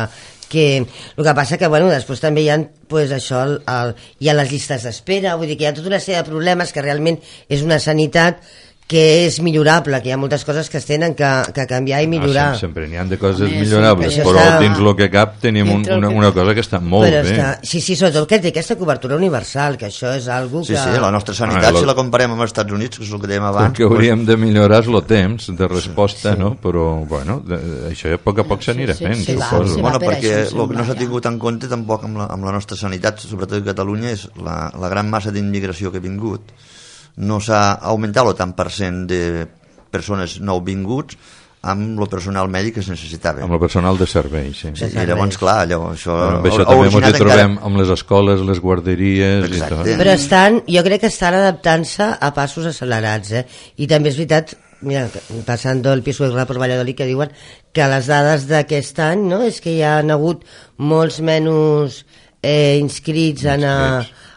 que el que passa que bueno, després també hi ha pues, això, el, el, hi ha les llistes d'espera, vull dir que hi ha tota una sèrie de problemes que realment és una sanitat que és millorable, que hi ha moltes coses que es tenen que, que canviar i millorar. No, sempre n'hi ha de coses Home, millorables, sí, però està... dins el que cap tenim un, una, una cosa que està molt però bé. està... Sí, sí, sobretot que té aquesta cobertura universal, que això és algo que... Sí, sí, la nostra sanitat, Ah, lo... si la comparem amb els Estats Units, que és el que dèiem abans... El que hauríem de millorar és el temps de resposta, sí, sí. no? Però, bueno, de, això a poc a poc s'anirà sí, fent, sí, suposo. sí, Bueno, per perquè això, el que no s'ha ja. tingut en compte tampoc amb la, amb la nostra sanitat, sobretot a Catalunya, és la, la gran massa d'immigració que ha vingut. No s'ha augmentat el tant per cent de persones nouvinguts amb el personal mèdic que es necessitava. Amb el personal de servei, sí. Sí, i llavors, clar, allò, això... Bueno, amb això ha també ens originat hi trobem encara... amb les escoles, les guarderies Exacte. i tot. Però estan, jo crec que estan adaptant-se a passos accelerats, eh? I també és veritat, mira, passant el piso de per Valladolid, que diuen que les dades d'aquest any, no?, és que hi ha hagut molts menys eh, inscrits en a,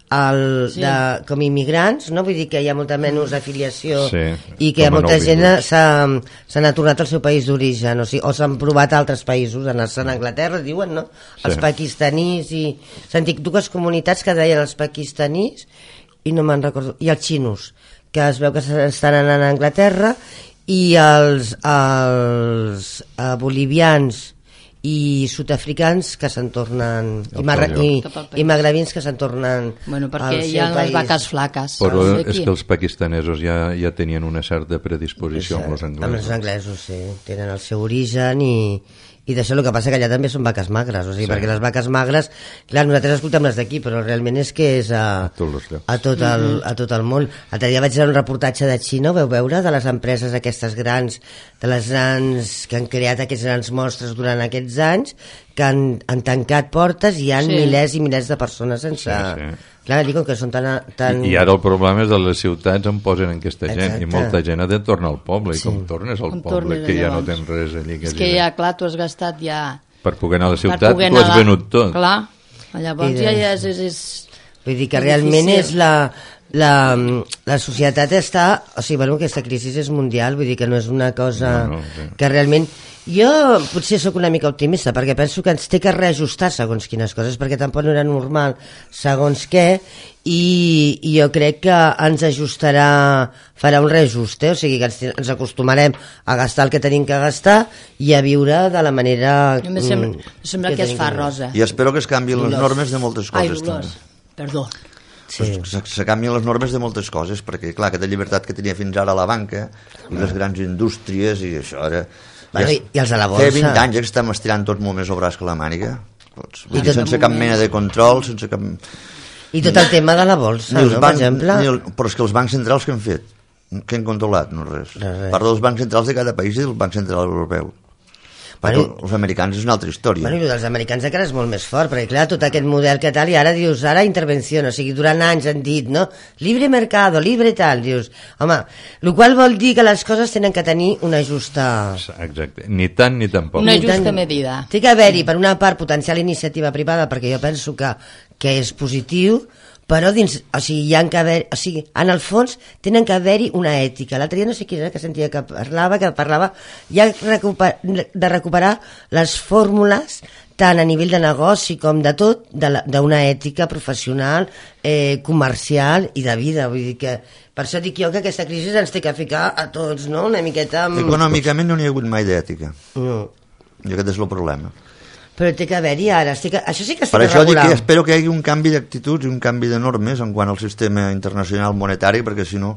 el, Sí. de, com immigrants, no? Vull dir que hi ha molta menys afiliació Sí, i que com a molta gent nouvinguts. s'ha se n'ha tornat al seu país d'origen, o, sigui, o s'han provat a altres països, anar-se'n a Anglaterra, diuen, no? Sí. Els pakistanís i... Sentit dues comunitats que deien els pakistanís i no me'n recordo, i els xinos, que es veu que estan anant a Anglaterra, i els, els eh, bolivians i sud-africans que se'n tornen i, marra, i, Cap al país. i magrebins que se'n tornen Bueno, perquè al hi seu ha les país. vaques flaques. Però saps, és aquí? que els pakistanesos ja, ja tenien una certa predisposició amb els Amb els anglesos. anglesos, sí, tenen el seu origen i, i d'això el que passa que allà també són vaques magres, o sigui, Sí. perquè les vaques magres, clar, nosaltres escoltem les d'aquí, però realment és que és a, Tots els llocs. a, tot el, a tot el món. L'altre dia vaig veure un reportatge de Xina, ho veu veure, de les empreses aquestes grans, de les grans que han creat aquests grans monstres durant aquests anys, que han, han tancat portes i hi ha Sí. milers i milers de persones sense... Sí, sí. Clar, dic, com que són tan... tan... I, I ara el problema és que les ciutats en posen en aquesta gent Exacte. i molta gent ha de tornar al poble Sí. i com tornes al Com poble tornes que ja no llavors? tens res allí que És que dir. ja, clar, tu has gastat ja... Per poder anar a la per ciutat poder tu has anar- venut tot. Clar, llavors I ja, de- ja és... és, és... Vull dir que és realment difícil. és la, la, la societat està... O sigui, bueno, aquesta crisi és mundial, vull dir que no és una cosa No, no, sí. que realment... Jo potser sóc una mica optimista, perquè penso que ens té que reajustar segons quines coses, perquè tampoc no era normal segons què, i, i jo crec que ens ajustarà, farà un reajust, eh? O sigui que ens, ens acostumarem a gastar el que tenim que gastar i a viure de la manera... Em sembla, mm, em sembla que es tenim fa viure. rosa. I espero que es canvien les Dolors. normes de moltes Ai, coses, Dolors, també. perdó. Sí. Pues, se, se canvien les normes de moltes coses, perquè, clar, aquesta llibertat que tenia fins ara la banca i les grans indústries i això ara... Bueno, ja i- i els de la Feia borsa. vint anys que estem estirant tot molt més el braç que la màniga. Doncs, I I tot- sense cap mena de control, sense cap... I tot el tema de la bolsa, Ni els no, bancs, per exemple... ni el, però és que els bancs centrals que han fet? Què han controlat? No res. Res, res. Parlo dels bancs centrals de cada país i del Banc Central Europeu. Perquè Bueno, els americans és una altra història. Bueno, i el dels americans encara és molt més fort, perquè clar, tot aquest model que tal, i ara dius, ara intervenció, o sigui, durant anys han dit, no? Libre mercado, libre tal, dius, home, el qual vol dir que les coses tenen que tenir una justa... Exacte, ni tant ni tampoc. Una Ni justa tant- medida. Té que haver-hi, per una part, potencial iniciativa privada, perquè jo penso que, que és positiu, però dins, o sigui, hi ha que haver, o sigui, en el fons tenen que haver-hi una ètica. L'altre dia no sé qui era que sentia que parlava, que parlava ja recuper, de recuperar les fórmules tant a nivell de negoci com de tot, de d'una ètica professional, eh, comercial i de vida. Vull dir que, per això dic jo que aquesta crisi ens té que ficar a tots, no?, una miqueta amb... Econòmicament no n'hi ha hagut mai d'ètica. No. I aquest és el problema. Però té que haver-hi ara, es té que... això sí que es té Per que això dic regular. que espero que hi hagi un canvi d'actituds i un canvi de normes en quant al sistema internacional monetari, perquè si no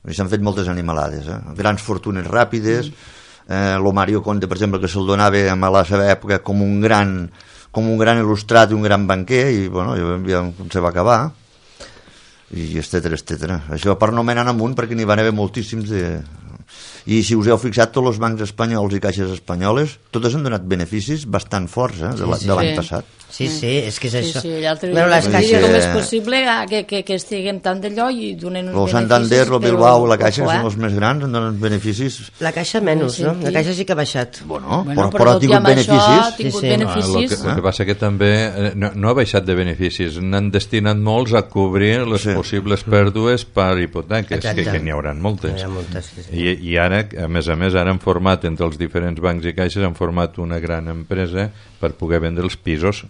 s'han fet moltes animalades, eh? Grans fortunes ràpides, eh, lo Mario Conde, per exemple, que se'l donava a la seva època com un gran com un gran il·lustrat i un gran banquer, i bueno, ja se va acabar, i etcètera, etcètera. Això per no menar amunt, perquè n'hi van haver moltíssims de... I si us heu fixat, tots els bancs espanyols i caixes espanyoles, totes han donat beneficis bastant forts, eh, de la- Sí, de l'any sí. passat. Sí, sí, és que és Sí, això. sí, l'altre Bueno, dia les com caixes... com és Eh, possible ah, que, que, que estiguem tant d'allò i donen uns El Santander, el Bilbao, la Caixa, que ojo, eh? són els més grans, han donat beneficis. La caixa menys, no? La Sí. caixa sí que ha baixat. Bueno, Bueno, però, però però ha tot i tingut amb això beneficis. ha tingut Sí, sí. Ah, el, beneficis. que, el que passa que també eh, no, no ha baixat de beneficis, n'han destinat molts a cobrir les Sí. possibles pèrdues per hipoteques, Exacte. que, que n'hi haurà moltes. N'hi ha moltes, sí, sí. I, I ara, a més a més, ara han format entre els diferents bancs i caixes, han format una gran empresa per poder vendre els pisos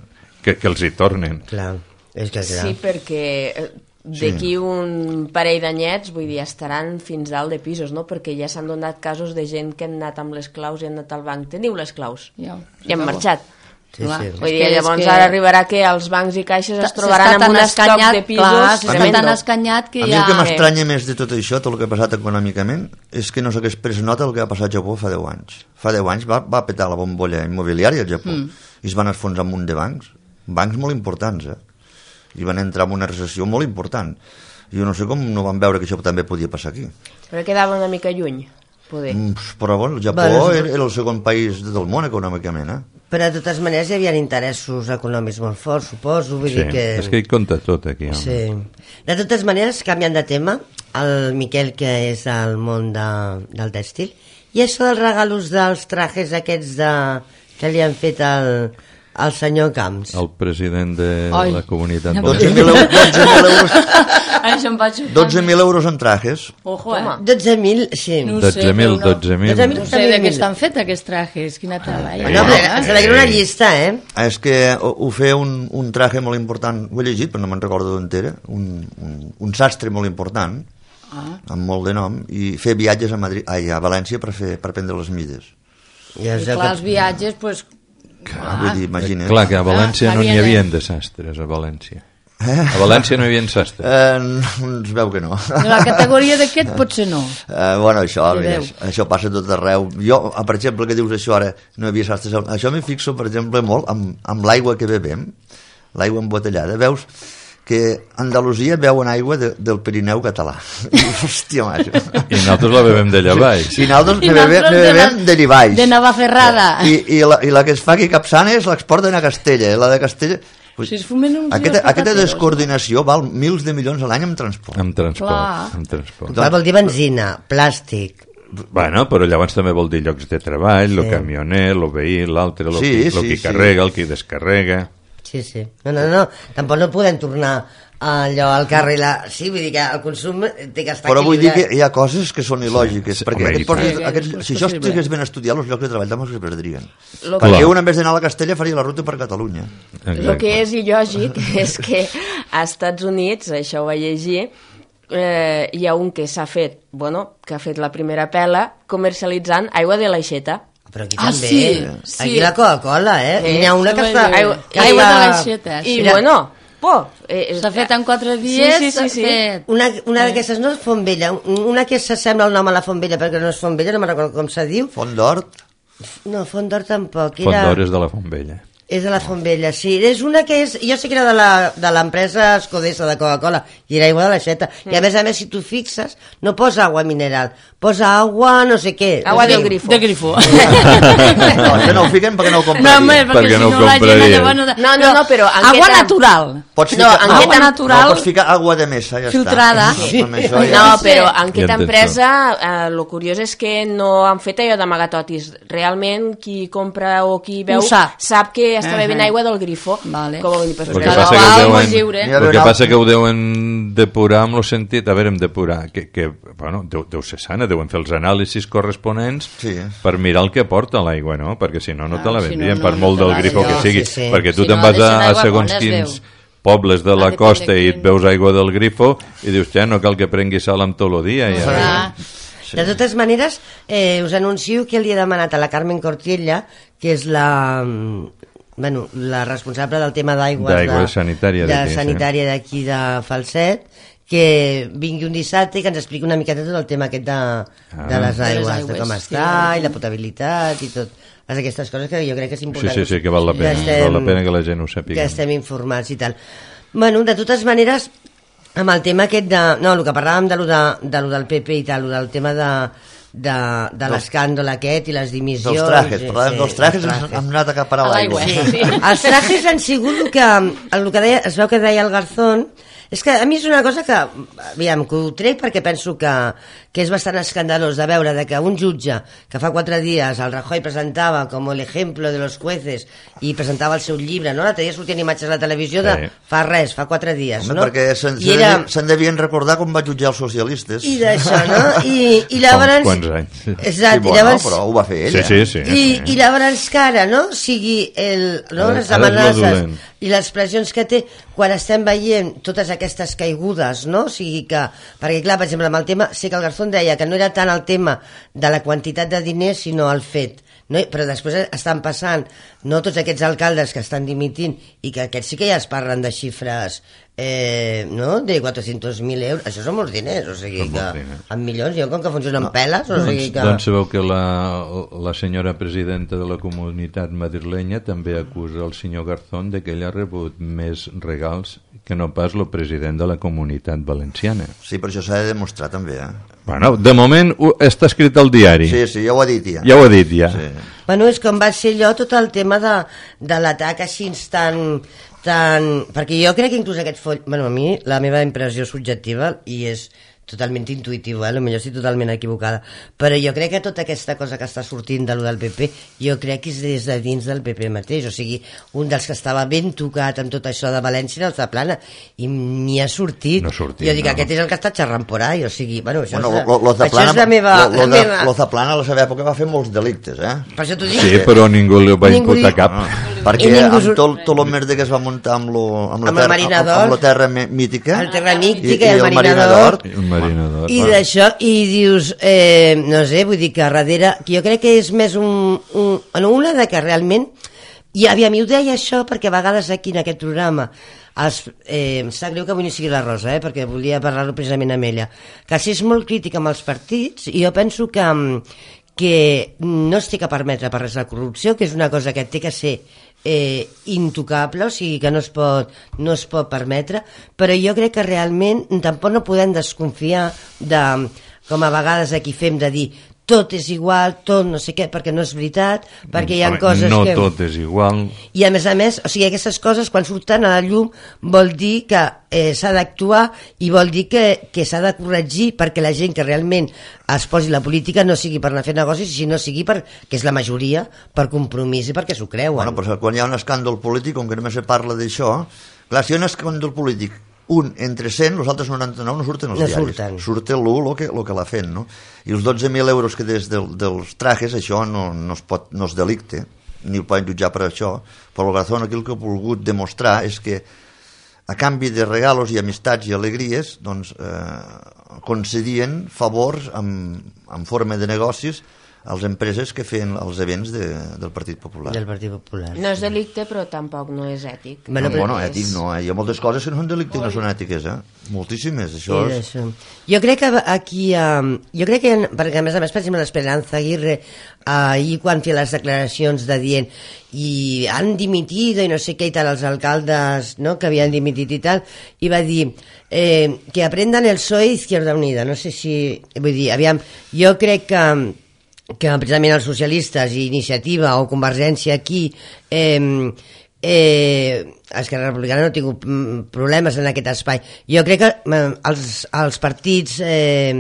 que, que els hi tornen. Clar, és que clar. Sí, perquè eh, d'aquí sí. un parell d'anyets, vull dir, estaran fins dalt de pisos, no? Perquè ja s'han donat casos de gent que han anat amb les claus i han anat al banc. Teniu les claus? Ja, I han marxat. Sí, sí. Vull dir, llavors que... ara arribarà que els bancs i caixes es trobaran amb un estoc de pisos. Clar, s'està tan escanyat que a ja... mi el que m'estranya més de tot això, tot el que ha passat econòmicament, és que no s'hagués pres nota del que ha passat al Japó fa deu anys. Fa deu anys va, va petar la bombolla immobiliària al Japó mm. i es van esfonsar un munt de bancs, bancs molt importants, eh? I van entrar en una recessió molt important. Jo no sé com no van veure que això també podia passar aquí. Però quedava una mica lluny, poder. Mm, però bueno, el Japó bueno, era, era el segon país del món econòmicament, eh? Però de totes maneres hi havia interessos econòmics molt forts, suposo. Vull sí, dir que... és que hi compta tot aquí. Home. Sí. De totes maneres, canviant de tema, el Miquel, que és al món de, del tèxtil, i això dels regalos dels trajes aquests de, que li han fet al, al senyor Camps. El president de Ai. la comunitat. dotze mil euros, Això em vaig... dotze mil euros en trajes. Ojo, eh? dotze mil, sí. No sé, dotze mil, no. dotze mil. No sé de què estan fets aquests trajes, quina tela. Eh? No, però se veia una llista, eh? És que ho, ho feia un, un traje molt important, ho he llegit però no me'n recordo d'on era, un, un, un sastre molt important, ah. amb molt de nom, i fer viatges a, Madrid, ai, a València per, fer, per prendre les mides. I, I clar, els viatges, doncs... Ah, vull dir, imagina't. Clar, que a València ah, no n'hi havia de sastres, a València. Eh? A València no hi havia sastres. Eh, es veu que no. La categoria d'aquest potser no. Eh, bueno, això, mira, això passa tot arreu. Jo, per exemple, que dius això ara, no hi havia sastres. Això m'hi fixo, per exemple, molt amb, amb l'aigua que bevem, l'aigua embotellada. Veus que Andalusia beuen aigua de, del Pirineu català. Hòstia, macho. I nosaltres la bevem d'allà baix. I nosaltres ne bevem, ne bevem d'allà baix. De Navacerrada. I, i, la, I la que es fa aquí a Capçanes l'exporten a Castella. La de Castella... Pues, si es fumen uns aquesta, aquesta descoordinació val mils de milions a l'any en transport. En transport. Clar. En transport. Clar, vol dir benzina, plàstic. Bueno, però llavors també vol dir llocs de treball, el sí. camioner, el veí, l'altre, el sí, qui, sí, qui sí. carrega, el qui descarrega... Sí, sí. No, no, no. Tampoc no podem tornar allò al carrer. La... Sí, vull dir que el consum té que estar però vull dir equilibrat. que hi ha coses que són il·lògiques, sí, perquè home, aquests postos, sí, aquests, si això possible. estigués ben estudiat, els llocs de treball també els perdrien. Lo Perquè Clar. un, en vez d'anar a la Castella, faria la ruta per Catalunya. El que és il·lògic és que a Estats Units, això ho vaig llegir, eh, hi ha un que s'ha fet, bueno, que ha fet la primera pela comercialitzant aigua de l'aixeta. Però aquí Ah, també. sí, sí. Aquí la Coca-Cola, eh? Sí, N'hi ha una que sí, està... aigua- que aigua està- de l'aixeta. I, Mira, bueno, por. Eh, S'ha fet en quatre dies, Sí, sí, sí, sí. s'ha fet... Una, una d'aquestes no és Fontvella, una que s'assembla al nom a la Fontvella perquè no és Fontvella, no me'n recordo com se diu. Font d'Hort, No, Font d'Or tampoc. Font Era... d'Or és de la Fontvella. És de la Fontvella, sí. És una que és... Jo sé que era de la- de l'empresa Escodessa de Coca-Cola i era aigua de l'aixeta. Mm. I a més a més, si tu fixes, no posa aigua mineral, posa aigua no sé què. Agua no sé del què. grifo. De grifo. no, això no ho fiquem perquè no ho No, compraria. home, perquè, Perquè si no no, ho la gent compraria. llavors... No, No, no, no, però en Agua què tam- natural. Pots No, ficar, en Agua què tam- natural... no, pots ficar aigua de mesa, ja Filtrada. està. Sí. Amb això ja... No, però en Ja aquesta entens empresa eh, lo curiós és que no han fet allò d'amagatotis. Realment qui compra o qui veu Ho sap. sap que està Ahà. bevent aigua del grifo. Vale. Com vull dir, pues, El que cada passa que qual, ho molt deuen, lliure. N'hi ha el que un passa altre. que ho deuen depurar amb el sentit, a veure, em depurar, que, que bueno, deu, deu ser sana, deuen fer els anàlisis corresponents Sí. per mirar el que porta l'aigua, no? Perquè si no, no te la Ah, si no, vendrien, no, per no molt te del la grifo que vendrien. sigui. Sí, sí. Perquè tu Si te'n no, vas deixen a, a aigua segons bona, es quins veu. pobles de Ah, la depèn costa de i et quin. veus aigua del grifo i dius, ja, no cal que prengui sal amb tot el dia. Ja. Ah, De totes maneres, eh, us anuncio que li he demanat a la Carmen Cortiella, que és la... mm, Bueno, la responsable del tema d'aigües D'aigua de, sanitària de d'aquí, sí. sanitària d'aquí de Falset, que vingui un dissabte i que ens expliqui una miqueta tot el tema aquest de, de les De les aigües, de aigües, com sí. està i la potabilitat i tot. Totes aquestes coses que jo crec que és Sí, important. sí, sí, que val la pena, val la pena que la gent ho sàpiga. Que estem informats i tal. Bueno, de totes maneres, amb el tema aquest de... No, el que parlàvem de lo, de, de lo del P P i tal, lo del tema de, de, de l'escàndol aquest i les dimissions... Dels trajes, sí, parlàvem sí, dels trajes, dels ens hem anat a acaparar A l'aigua. l'aigua. Sí. Els trajes han sigut el que, el que deia, es veu que deia el Garzón. És que a mi és una cosa que, aviam, que ho trec perquè penso que, que és bastant escandalós de veure de que un jutge que fa quatre dies el Rajoy presentava com l'ejemplo de los jueces i presentava el seu llibre, no? L'altre dia sortien imatges a la televisió de Sí. fa res, fa quatre dies, Home, no? perquè se'n I era... se devien recordar com va jutjar els socialistes. I d'això, no? I, i llavors... Fa uns quants anys. Exacte, sí, i bueno, llavors... però ho va fer ella. Sí, sí, sí. I, i llavors que ara, no?, sigui el, no, Ara- les ara és lo amenaces, dolent. i les pressions que té quan estem veient totes aquestes caigudes, no? O sigui que, perquè clar, per exemple, amb el tema, sé que el Garzón deia que no era tant el tema de la quantitat de diners, sinó el fet, no? Però després estan passant, no, tots aquests alcaldes que estan dimitint i que aquests sí que ja es parlen de xifres, eh, no?, de quatre-cents mil euros, això són molts diners, o sigui que en milions, jo com que funcionen no. peles, o sigui que... Doncs sabeu que la, la senyora presidenta de la comunitat madrilenya també acusa el senyor Garzón de que ell ha rebut més regals que no pas el president de la comunitat valenciana. Sí, però això s'ha de demostrar també, eh? Bueno, de moment està escrit al diari. Sí, sí, ja ho ha dit ja. Ja ho ha dit ja. Sí. Bueno, és com va ser allò tot el tema de, de l'atac així tan, tan... Perquè jo crec que inclús aquest foll... Bueno, a mi la meva impressió subjectiva, i és totalment intuitiu, eh? Potser estic totalment equivocada, però jo crec que tota aquesta cosa que està sortint de lo del P P, jo crec que és des de dins del P P mateix, o sigui, un dels que estava ben tocat amb tot això de València era el Zaplana, i ni ha sortit. No sortit, jo dic, no. aquest és el que està xerrant por ahí, o sigui, bueno, això, Bueno, és, lo, lo això Zaplana, és la meva... Lo, lo, la meva... lo Zaplana a la seva època va fer molts delictes, eh? Per això t'ho dic. Sí, però ningú li va Ningú imputar li- cap. No, perquè ningú... amb tot, tot el merda que es va muntar amb, lo, amb, la, Amb el terra, marinador. amb la terra mítica, El terra mítica i, i el marinador. El marinador. I d'això, i dius, eh, no sé, vull dir que darrere, que jo crec que és més un, un, en una de que realment, i aviam, mi ho deia això perquè a vegades aquí en aquest programa, els, eh, em sap greu que avui no sigui la Rosa, eh, perquè volia parlar-ho precisament amb ella, que si és molt crítica amb els partits, i jo penso que, que no es té que permetre per res la corrupció, que és una cosa que té que ser eh, intocable, o sigui que no es, pot, no es pot permetre, però jo crec que realment tampoc no podem desconfiar de, com a vegades aquí fem, de dir tot és igual, tot no sé què, perquè no és veritat, perquè hi ha Home, coses no que... No tot és igual. I a més a més, o sigui, aquestes coses quan surten a la llum vol dir que eh, s'ha d'actuar i vol dir que, que s'ha de corregir perquè la gent que realment es posi la política no sigui per anar a fer negocis, sinó sigui per, que és la majoria, per compromís i perquè s'ho creuen. Bueno, però quan hi ha un escàndol polític, com que només se parla d'això, clar, si hi ha un escàndol polític, un entre cent, els altres noranta-nou no surten als No diaris. surten. Surt l'u el que, lo que l'ha fet, no? I els dotze mil euros que des del, dels trajes, això no, no, es pot, no és delicte, ni el poden jutjar per això, però el Garzón aquí el que ha volgut demostrar és que a canvi de regalos i amistats i alegries, doncs, eh, concedien favors en, en forma de negocis a les empreses que feien els events de, del Partit Popular. Del Partit Popular. No és delicte, però tampoc no és ètic. Bueno, No, però bueno, és- ètic no, eh? Hi ha moltes coses que no són delicte i no són ètiques, eh? Moltíssimes, això Sí, és... això. Jo crec que aquí, um, jo crec que, perquè a més a més, per exemple, l'Esperanza Aguirre, uh, ahir quan feia les declaracions de dient i han dimitit i no sé què i tal, els alcaldes, no?, que havien dimitit i tal, i va dir eh, que aprendan el P S O E Izquierda Unida, no sé si, vull dir, aviam, jo crec que que precisament els socialistes i Iniciativa o Convergència aquí eh, eh, Esquerra Republicana no ha tingut mm, problemes en aquest espai. Jo crec que eh, els, els partits eh,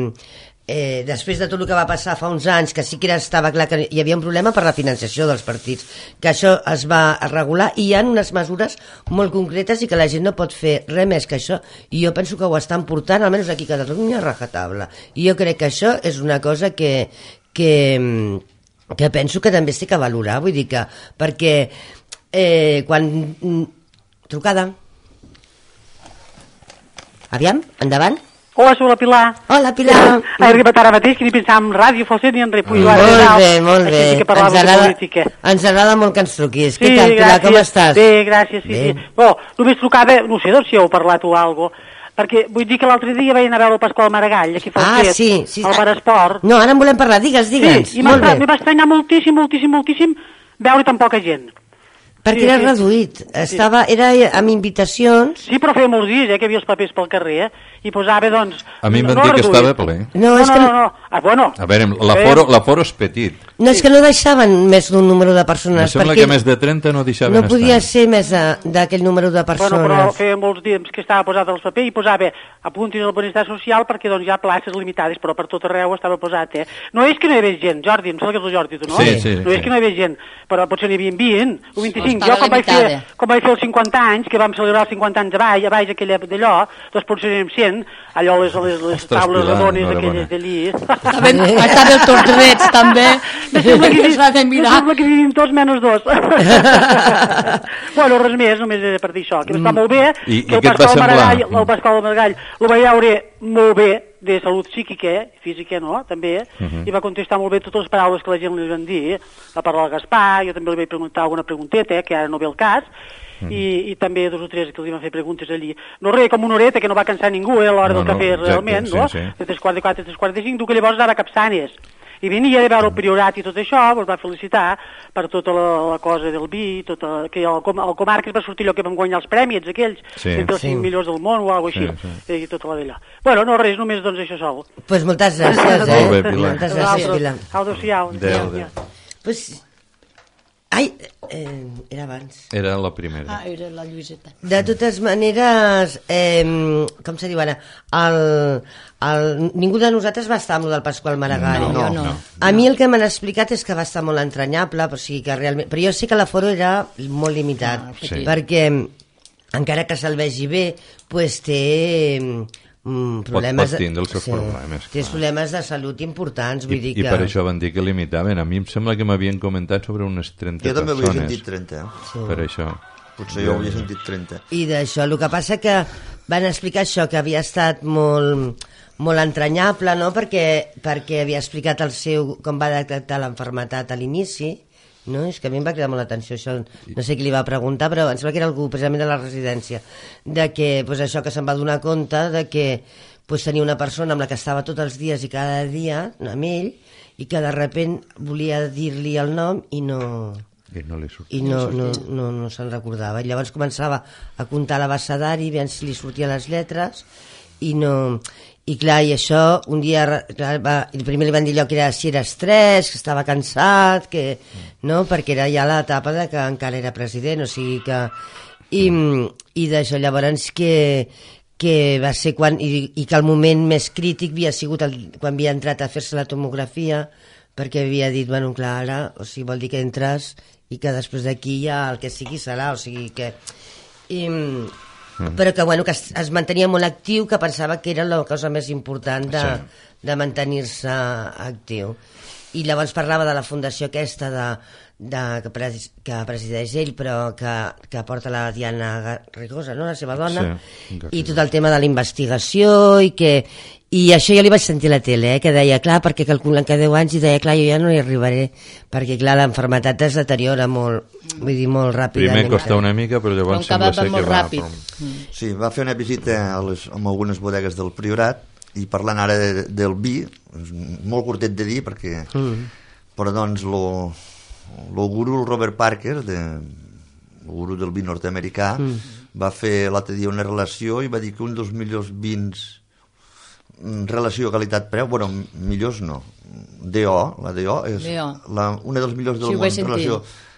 eh, després de tot el que va passar fa uns anys, que sí que era, estava clar que hi havia un problema per la financiació dels partits, que això es va regular i hi ha unes mesures molt concretes i que la gent no pot fer res més que això, i jo penso que ho estan portant, almenys aquí a Catalunya, a rajatabla. I jo crec que això és una cosa que que, que penso que també es té que valorar, vull dir que, perquè eh, quan... Trucada. Aviam, endavant. Hola, soc la Pilar. Hola, Pilar. He arribat ara mateix, que ni pensava en ràdio, falset ni en res. Molt bé, molt bé. Així que parlava Ens de agrada, política. ens agrada molt que ens truquis. Sí, Què tal, Pilar, com estàs? Bé, gràcies, sí, Bé. sí. Bo, només trucava, no sé doncs si heu parlat o alguna cosa, perquè vull dir que l'altre dia vaig anar a veure el Pasqual Maragall, aquí a Ah, Falset, sí, sí. al Bar Esport. No, ara en volem parlar, digues, digues. Sí, i molt m'ha bé. m'ha estranyat moltíssim, moltíssim, moltíssim veure tan poca gent. Perquè sí, era sí. reduït, estava, era amb invitacions. Sí, però feia molts dies, eh, que hi havia els papers pel carrer, eh, i posava, doncs... A mi em van no dir que reduït. estava ple. No, No, és no, que no, no. Ah, bueno. A veure, l'aforo l'aforo és petit. No, és que no deixaven més d'un número de persones. Em sembla perquè que més de trenta no deixaven no podia estar. ser més de- d'aquell número de persones. Bueno, però feia molts dies que estava posat als papers i posava apuntis al benestar social perquè doncs hi ha places limitades, però per tot arreu estava posat, eh? No és que no hi havia gent, Jordi, em sembla que és el Jordi, tu, no? Sí, sí, No és sí. que no hi havia gent, però potser n'hi havia vint o vint-i-cinc, tinc. Jo com vaig, fer, com vaig fer els cinquanta anys, que vam celebrar els cinquanta anys a baix, a baix aquella d'allò, doncs potser anem cent, allò les, les, les Ostres, taules Pilar, redones enhorabona. aquelles d'allí. Estava el Torrets, també. Me sembla que, Es va de mirar. me sembla que vivim tots menys dos. Bueno, res més, només era per dir això, que està molt bé, I- que i el què et va Pasqual semblar? Maragall, el Pasqual Maragall, el vaig veure molt bé, de salut psíquica, física, no?, també, i va contestar molt bé totes les paraules que la gent li van dir, va parlar al Gaspar, jo també li vaig preguntar alguna pregunteta, que ara no ve el cas, i, i també dos o tres que li van fer preguntes allí. No res, com una horeta, que no va cansar ningú, eh, a l'hora No, del no, cafè, exacte, realment, no?, sí, sí. de tres quarts de quatre, tres quarts de cinc, tu que llavors anava a Capçanes, i venia de veure el priorat i tot això, ens va felicitar per tota la, la cosa del vi, tota, que al, com, al Comarques va sortir allò que vam guanyar els prèmits, aquells, Sí. entre els Sí. cinc millors del món o alguna cosa així, Sí, i tota la d'allò. Bueno, no res, només doncs això sol. Doncs pues moltes gràcies, eh? Molt bé, Pilar. Moltes gràcies, Pilar. Adéu-siau. Adéu, adéu. Pues... Ai, eh, era abans. Era la primera. Ah, era la Lluïseta. De totes maneres, eh, com se diu ara, el, el, ningú de nosaltres va estar amb el del Pasqual Maragall. No, jo no. no. A mi el que m'han explicat és que va estar molt entranyable, o sigui que realment... Però jo sé que l'aforo era molt limitat, Ah, sí. perquè encara que se'l vegi bé, pues té mm, problemes... pot tindre els seus problemes, Té clar. problemes de salut importants, vull I, dir I que... per això van dir que limitaven. A mi em sembla que m'havien comentat sobre unes trenta Jo també havia persones. sentit trenta, eh? Per això. Potser jo havia sentit trenta. I d'això, el que passa que van explicar això, que havia estat molt, molt entranyable, no?, perquè, perquè havia explicat el seu, com va detectar l'enfermetat a l'inici, no? És que a mi em va cridar molt l'atenció això, no sé qui li va preguntar, però em sembla que era algú precisament de la residència, de que, pues, això, que se'n va donar compte de que pues, tenia una persona amb la que estava tots els dies i cada dia amb ell, i que de repent volia dir-li el nom i no... I no li surt. i no, no, no, no se'n recordava. I llavors començava a comptar l'abecedari, veient si li sortien les lletres, i no... I clar, i això, un dia, clar, va, i primer li van dir allò que era, si era estrès, que estava cansat, que, no?, perquè era ja l'etapa de que encara era president, o sigui que... I, i d'això, llavors, que, que va ser quan... I, i que el moment més crític havia sigut el, quan havia entrat a fer-se la tomografia, perquè havia dit, bueno, clar, ara, o sigui, vol dir que entres i que després d'aquí ja el que sigui serà, o sigui que... I, mm. Però que, bueno, que es, es mantenia molt actiu, que pensava que era la cosa més important de, sí. de mantenir-se actiu. I llavors parlava de la fundació aquesta de, de, que, pres, que presideix ell, però que, que porta la Diana Rigosa, no?, la seva dona, Sí, i tot el tema de la investigació, i que... I això jo li vaig sentir a la tele, eh, que deia, clar, perquè calculen que deu anys, i deia, clar, jo ja no hi arribaré, perquè, clar, l'enfermetat es deteriora molt, vull dir, molt ràpidament. Primer costa una mica, però llavors Com que sembla va ser que molt va... ràpid. Però... Sí, va fer una visita a les, amb algunes bodegues del Priorat, i parlant ara de, del vi, és molt curtet de dir, perquè... Mm. Però doncs, lo, lo guru, el Robert Parker, de, el guru del vi nord-americà, mm. va fer l'altre dia una relació i va dir que un dels millors vins relació qualitat-preu, bueno, millors no, D O, la D O és D O. la, una dels millors del Sí, ho món vaig sentir. relació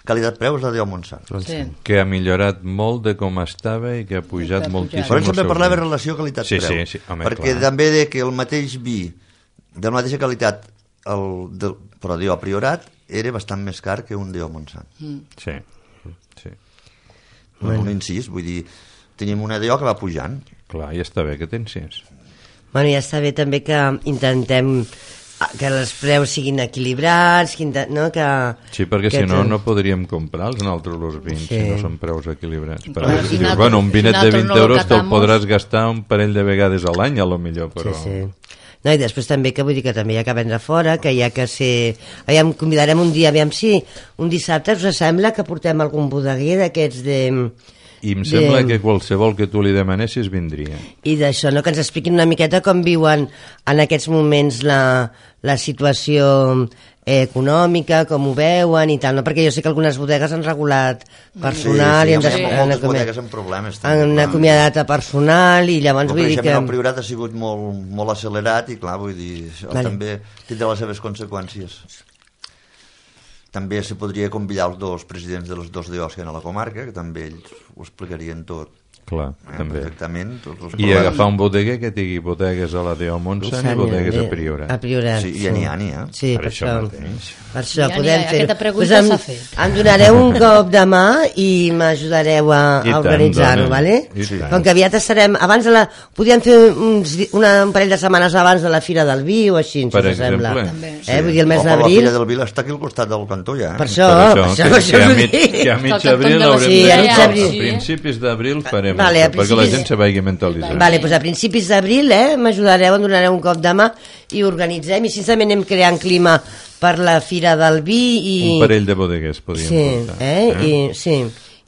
qualitat-preu és la D O Montsant. Sí. Que ha millorat molt de com estava i que ha pujat Que ha moltíssim. pujat. Però ell sempre el seu parlava de preu. relació qualitat-preu. Sí, sí, sí, home, perquè clar. també de que el mateix vi de la mateixa qualitat el, del, però D O Priorat era bastant més car que un D O Montsant. Mm. Sí, sí. Bueno. Un incís, vull dir, tenim una D O que va pujant. Clar, i està bé que tens sis. Bueno, ja està bé també que intentem que els preus siguin equilibrats, que, inte- no, que... Sí, perquè que si no, tot- no podríem comprar els altres los vins, Sí. si no són preus equilibrats. Per Clar, exemple, si si dius, nosaltres- bueno, un si vinet de nosaltres vint no lo euros te'l catamos- podràs gastar un parell de vegades a l'any, a lo millor, però... Sí, sí. No, i després també que vull dir que també hi ha que vendre fora, que hi ha que ser... Aviam, convidarem un dia, aviam si un dissabte us sembla que portem algun bodeguer d'aquests de... I em sembla de- que qualsevol que tu li demanessis vindria. I d'això, no? Que ens expliquin una miqueta com viuen en aquests moments la, la situació eh, econòmica, com ho veuen i tal, no? Perquè jo sé que algunes bodegues han regulat personal sí, i han, sí, des- hi ha han, moltes acomi- bodegues amb problemes. també, han clar. acomiadat a personal i llavors El vull dir creixement que... al Priorat ha sigut molt, molt accelerat i clar, vull dir, això Vale. també tindrà les seves conseqüències. També se podria convidar els dos presidents de les dos D Os que hi ha a la comarca, que també ells ho explicarien tot. Clar, també. Exactament. Tots els I problemes. agafar un bodeguer que tingui bodegues a la Déu Montsant i bodegues a Priorat. A Priorat, Sí, ja n'hi ha, n'hi ha. Sí, Per per, això això. mateix. Per això Ja n'hi ha, podem fer-ho. aquesta pregunta Pues em, s'ha fet. em donareu un cop de mà i m'ajudareu a, I a tant, organitzar-ho, dona. vale? I tant. Com que aviat estarem... Abans de la... Podríem fer uns, di- una, un parell de setmanes abans de la Fira del Vi o així, si Per us sembla. exemple. També. Eh? Vull dir, el mes O la d'abril... Fira del Vil està aquí al costat del cantó, ja. Per això, Per per això, això, per que, això que, a us ho mig, dic. que a mig Al abril cantó de la haurem Sí, de... a mig a abril. principis d'abril farem Vale, a això, perquè la principis- gent se vagi mentalitzant. Vale, doncs a principis d'abril eh, m'ajudareu, em donareu un cop de mà i organitzem, i sincerament anem creant clima per la Fira del Vi i... Un parell de bodeguers podríem sí, portar. eh? I, sí,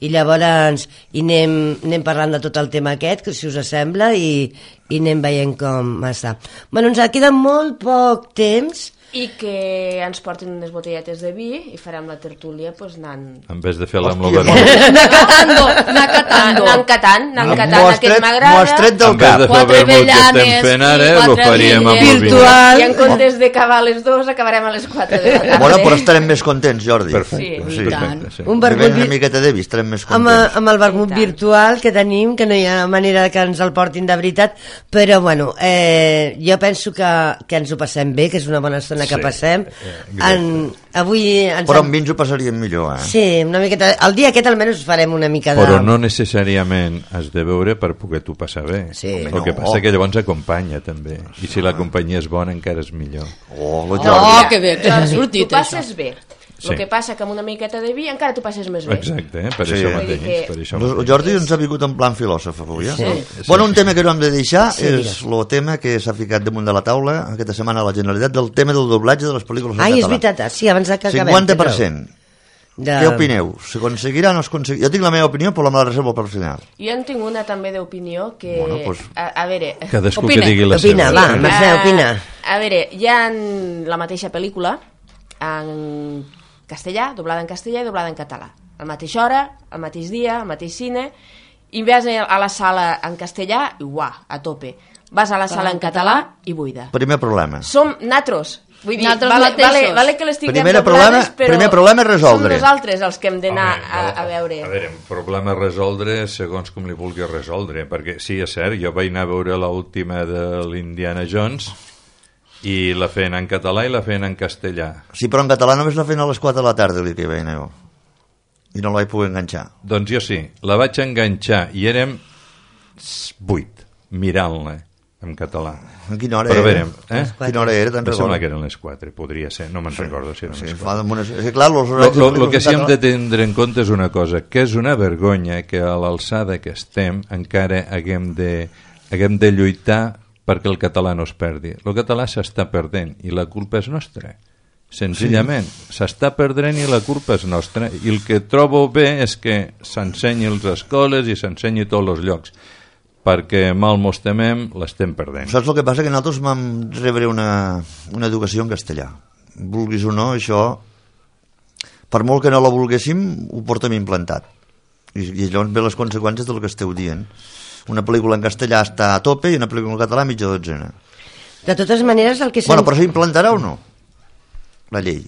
i llavors i anem, anem parlant de tot el tema aquest, que si us sembla, i, i anem veient com està. Bueno, ens queda molt poc temps. I que ens portin unes botelletes de vi i farem la tertúlia pues, anant... En vez de fer-la amb Hòstia, l'overmut. Anar catando, anar catando. Anant catant, anant M'ho catant, has aquest tret- m'agrada. m'ho has tret del En vez cap. de fer Quatre el vermut que estem avellanes fent ara, i ho quatre faríem amb el virtuals. vi. Virtual. I en comptes d'acabar a les dues, acabarem a les quatre de la tarda. Bueno, però estarem més contents, Jordi. Perfecte, Sí. sí. perfecte, sí. Un Si vermut ven una vi- miqueta de vi, estarem més amb, contents. amb el vermut I tant. virtual que tenim, que no hi ha manera que ens el portin de veritat, però bueno, eh, jo penso que, que ens ho passem bé, que és una bona estona que Sí, passem. eh, En, avui ens Però hem- amb vi ens ho passaríem millor, eh? Sí, una miqueta... El dia aquest almenys farem una mica de... Però no necessàriament has de veure per poder-t'ho passar bé. Sí. El Home, que no. passa que llavors acompanya també. I si la companyia és bona encara és millor. Oh, lo Oh, Jordi. que bé, que ha Jordi, sortit tu passes això. bé. Sí. El que passa que amb una miqueta de vi encara tu passes més bé. Exacte, eh? per Sí. això Vull mateix. dir que- Per això El mateix. Jordi ens ha vingut en plan filòsof avui, eh? Sí. Bueno, un tema que no hem de deixar Sí, és el tema que s'ha ficat damunt de la taula aquesta setmana a la Generalitat del tema del doblatge de les pel·lícules en Ai, és català. veritat, ah, sí, abans de que acabem. cinquanta per cent. De... Què opineu? S'aconseguirà o no s'aconseguirà? Jo tinc la meva opinió, però la me la reservo per final. Jo en tinc una també d'opinió que... Bueno, pues- a, a veure... Cadascú Opina. que digui la Opina, seva. va, Mercè, opina. A, a veure, hi ha la mateixa pel·lícula en castellà, doblada en castellà i doblada en català. A la mateixa hora, al mateix dia, al mateix cine, i vas a la sala en castellà i uah, a tope. Vas a la sala en català i buida. Primer problema. Som natros. Vull dir, Nosaltres vale, mateixos. vale, vale que les tinguem Primer doblades, problema- però primer problema és resoldre. som nosaltres els que hem d'anar Home, a, no, a veure. A veure, un problema a resoldre segons com li vulgui resoldre, perquè sí, és cert, jo vaig anar a veure l'última de l'Indiana Jones i la feien en català i la feien en castellà. Sí, però en català només la feien a les quatre de la tarda, el que veia jo. I no la vaig poder enganxar. Doncs jo sí, la vaig enganxar i érem vuit mirant-la en català. En quina hora Però a era? veure, eh? Quina hora era? Te'n Em sembla recordes? que eren les quatre, podria ser, no me'n recordo si eren Sí, les fa quatre. damunt... És que clar, los Lo, horaris lo, de lo que sí hem català- de tindre en compte és una cosa, que és una vergonya que a l'alçada que estem encara haguem de, haguem de lluitar perquè el català no es perdi. El català s'està perdent i la culpa és nostra. Senzillament, s'està perdent i la culpa és nostra. I el que trobo bé és que s'ensenyi a les escoles i s'ensenyi a tots els llocs, perquè mal mos temem, l'estem perdent. Saps el que passa? Que nosaltres vam rebre una, una educació en castellà. Vulguis o no, això, per molt que no la volguéssim, ho portem implantat. I, i llavors ve les conseqüències del que esteu dient. Una pel·lícula en castellà està a tope i una pel·lícula en català a mitja dotzena. De totes maneres, el que... Bueno, se'ns- però s'implantarà o no? La llei.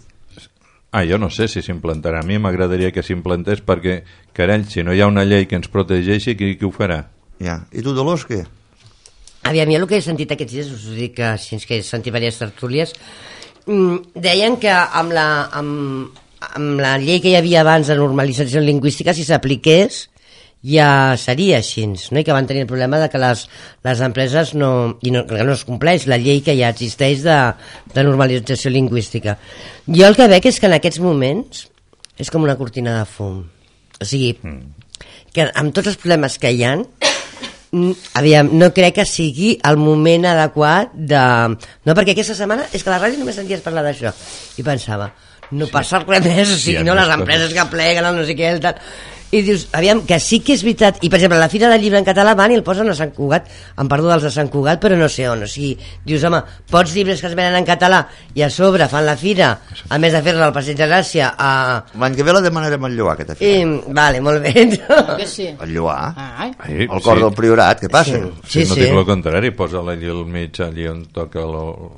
Ah, jo no sé si s'implantarà. A mi m'agradaria que s'implantés perquè, carall, si no hi ha una llei que ens protegeixi, qui, qui ho farà? Ja. I tu, Dolors, què? Aviam, jo el que he sentit aquests dies, us ho dic que així que he sentit diverses tertúlies, mm, deien que amb la, amb, amb la llei que hi havia abans de normalització lingüística, si s'apliqués, ja seria així, no? I que van tenir el problema de que les, les empreses no, i no, que no es compleix la llei que ja existeix de, de normalització lingüística. Jo el que veig és que en aquests moments és com una cortina de fum. O sigui, que amb tots els problemes que hi ha, Mm, aviam, no crec que sigui el moment adequat de... No, perquè aquesta setmana és que a la ràdio només senties parlar d'això i pensava, no sí. passa res més, o sigui, Sí, no, les més empreses coses. que pleguen, el no sé què, el tal... I dius, aviam, que sí que és veritat, i per exemple, la Fira del Llibre en català van i el posen a Sant Cugat, em perdo dels de Sant Cugat, però no sé on, o sigui, dius, home, pots llibres que es venen en català i a sobre fan la fira, a més de fer-la al Passeig de Gràcia, a... L'any que ve la demanarem al Lloar, aquesta I, fira. vale, molt bé. Que sí. El Lloar. Ai, Ai, El cor del Priorat, què passa? Sí, Si no sí. dic el contrari, posa-la allí al mig, allí on toca lo-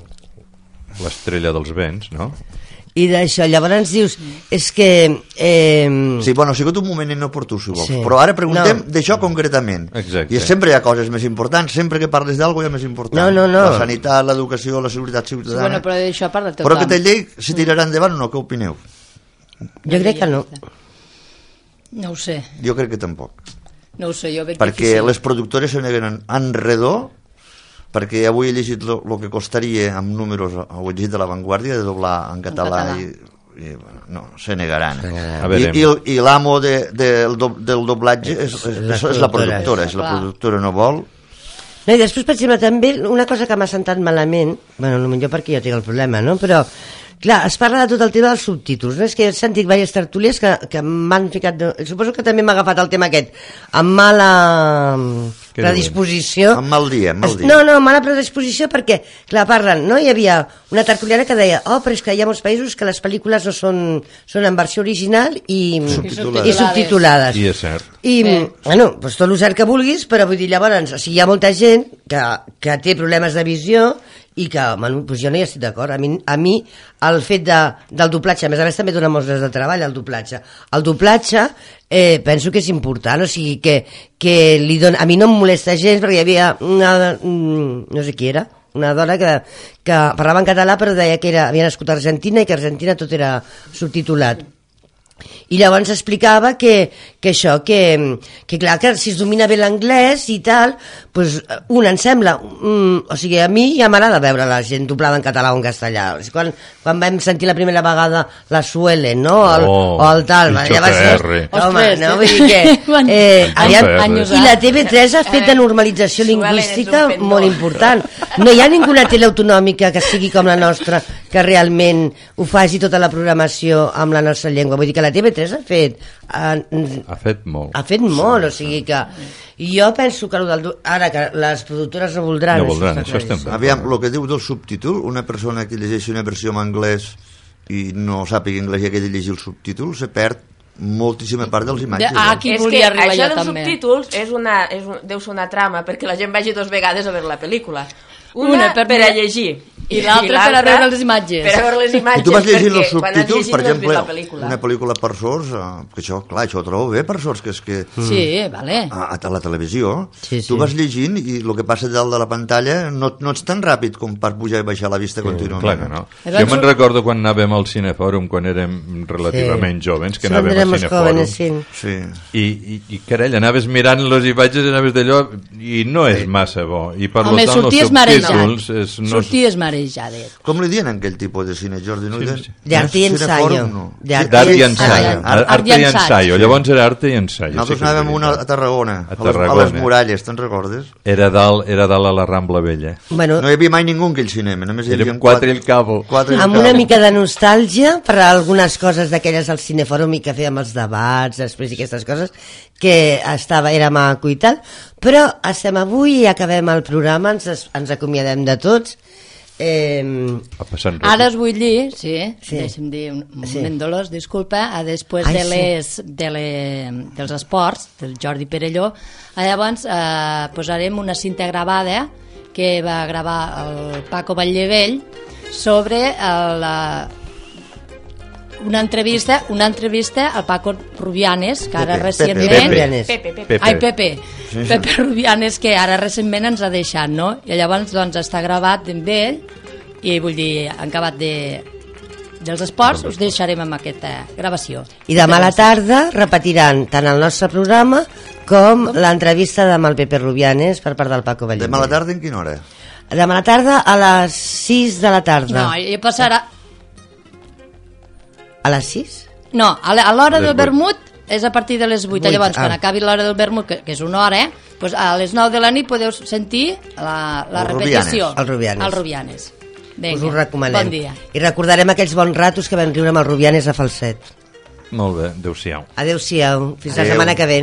l'estrella dels vents, no? i d'això. Llavors dius, és que... Eh... Sí, bueno, ha sigut un moment inoportú, si vols, Sí. però ara preguntem No. d'això concretament. Exacte. I sempre hi ha coses més importants, sempre que parles d'alguna cosa hi ha més important. No, no, no. La sanitat, l'educació, la seguretat Sí, ciutadana... bueno, però d'això parla tothom. Però aquesta llei se tirarà endavant o no? Què opineu? Jo crec que no. No ho sé, Jo crec que tampoc. no ho sé, jo veig Perquè difícil. les productores se neguen en redó, perquè avui he llegit el que costaria amb números, ho he llegit de l'avantguàrdia, de doblar en català, català. i, i bueno, no, se negaran. A I, veure. i, el- i l'amo de, de, del, do, del doblatge és, és, La és, és la productora. productora, és la Clar. productora no vol. No, i després, per exemple, també una cosa que m'ha sentat malament, bueno, potser perquè jo tinc el problema, no? Però, clar, es parla de tot el tema dels subtítols, no? És que he sentit diverses tertúlies que, que m'han ficat... De... Suposo que també m'ha agafat el tema aquest, amb mala Què predisposició. Amb mal dia, amb mal dia. No, no, mala predisposició perquè, clar, parlen, no? Hi havia una tertuliana que deia, oh, però és que hi ha molts països que les pel·lícules no són, són en versió original i Subtitulades. i subtitulades. I és cert. I, Bé. bueno, doncs tot el cert que vulguis, però vull dir, llavors, o sigui, hi ha molta gent que, que té problemes de visió i que, bueno, doncs jo no hi estic d'acord. A mi, a mi el fet de, del doblatge, a més a més també dona molts de treball, el doblatge. El doblatge eh, penso que és important, o sigui, que, que li dona, a mi no em molesta gens, perquè hi havia una, mm, no sé qui era, una dona que, que parlava en català però deia que era, havia nascut a Argentina i que a Argentina tot era subtitulat. I llavors explicava que, que això, que, que clar, que si es domina bé l'anglès i tal, pues, un em sembla, mm, o sigui, a mi ja m'agrada veure la gent doblada en català o en castellà. O sigui, quan, quan vam sentir la primera vegada la Suelen, no? El, Oh, o el tal, Picho ja va ser... P R. Home, Ostres, no? eh? Vull dir que... Quan- Eh, Picho aviam, P R. Anys I la T V tres ha fet de normalització Suelen és un lingüística pendó. molt important. No hi ha ninguna tele autonòmica que sigui com la nostra, que realment ho faci tota la programació amb la nostra llengua. Vull dir que la T V tres ha fet... Ha, Ha fet molt. ha fet molt, o sigui que... I jo penso que, del, ara que les productores no voldran... No voldran, està això estem claríssim. Aviam, el que diu del subtítol, una persona que llegeixi una versió en anglès i no sàpiga anglès i ha de llegir el subtítol, se perd moltíssima part dels imatges. De- ah, eh? Aquí és que volia arribar això jo dels també. subtítols és una, és un, deu ser una trama perquè la gent vagi dos vegades a veure la pel·lícula. Una, Una per per, per a mirar- llegir i l'altra per a veure les imatges. Per a veure les imatges. I tu vas llegint perquè els quan has subtítols, llegit per no has exemple, vist la pel·lícula. una pel·lícula per sords, eh, que això, clar, això ho trobo bé per sords, que és que Sí, vale. a, a la televisió, Sí, sí. tu vas llegint i el que passa dalt de la pantalla no, no ets tan ràpid com per pujar i baixar la vista contínuament. Clar que no. Llavors- Jo me'n recordo quan anàvem al Cinefòrum, quan érem relativament Sí. joves, que Cuando anàvem al éramos Cinefòrum. jóvenes, sí. Sí. I, i, i carai, anaves mirant les imatges, anaves d'allò, i no és massa bo. I per Home, tant, els sorties marejat. subtítols és, no és, Sorties marejadet. Com li diuen aquell tipus de cine, Jordi? No? Sí, Sí, sí. De arte y ensayo. No. De arte d'art i i ensaio. ensayo. Art Arte i i ensaig. ensaio. Llavors era arte i ensaio. Nosaltres sí que és anàvem una veritat. a Tarragona, A a, les, a Tarragona. les muralles, te'n recordes? Era dalt, era dalt a la Rambla Vella. Bueno, No hi havia mai ningú en aquell cinema, només hi havia Érem quatre i el cabo. Quatre i el amb cabo. una mica de nostàlgia per a algunes coses d'aquelles al Cinefòrum i que fèiem els debats després i aquestes coses, que estava, era maco i tal, però estem avui i acabem el programa, ens, ens acomiadem de tots. Eh, Va passant Ara ràpid. us vull dir, sí, Sí. deixa'm dir un un Sí. moment, Dolors, disculpa, a després Ai, de sí. les, de le, dels esports, del Jordi Perelló, a llavors eh, posarem una cinta gravada que va gravar el Paco Batllevell sobre el, la, una entrevista una entrevista al Paco Rubianes, que ara Pepe, recentment... Pepe. Rubianes. Pepe, Pepe. Pepe. Ai, Pepe. Pepe Rubianes, que ara recentment ens ha deixat, no? I llavors doncs, està gravat amb ell i vull dir, en acabat de, dels esports us deixarem amb aquesta gravació. I demà a la tarda repetiran tant el nostre programa com l'entrevista amb el Pepe Rubianes per part del Paco Batllevell. Demà a la tarda en quina hora? Demà a la tarda a les sis de la tarda. No, i passarà... A les sis? No, a la- a l'hora A les del vuit. vermut és a partir de les vuit. Vuit, Llavors, ah. quan acabi l'hora del vermut, que, que és una hora, eh, doncs a les nou de la nit podeu sentir la, la El repetició. Rubianes. El Rubianes. El Rubianes. Vinga, Us ho recomanem. bon dia. I recordarem aquells bons ratos que vam riure amb el Rubianes a Falset. Molt bé, adéu-siau. Adéu-siau, fins la Adéu. setmana que ve.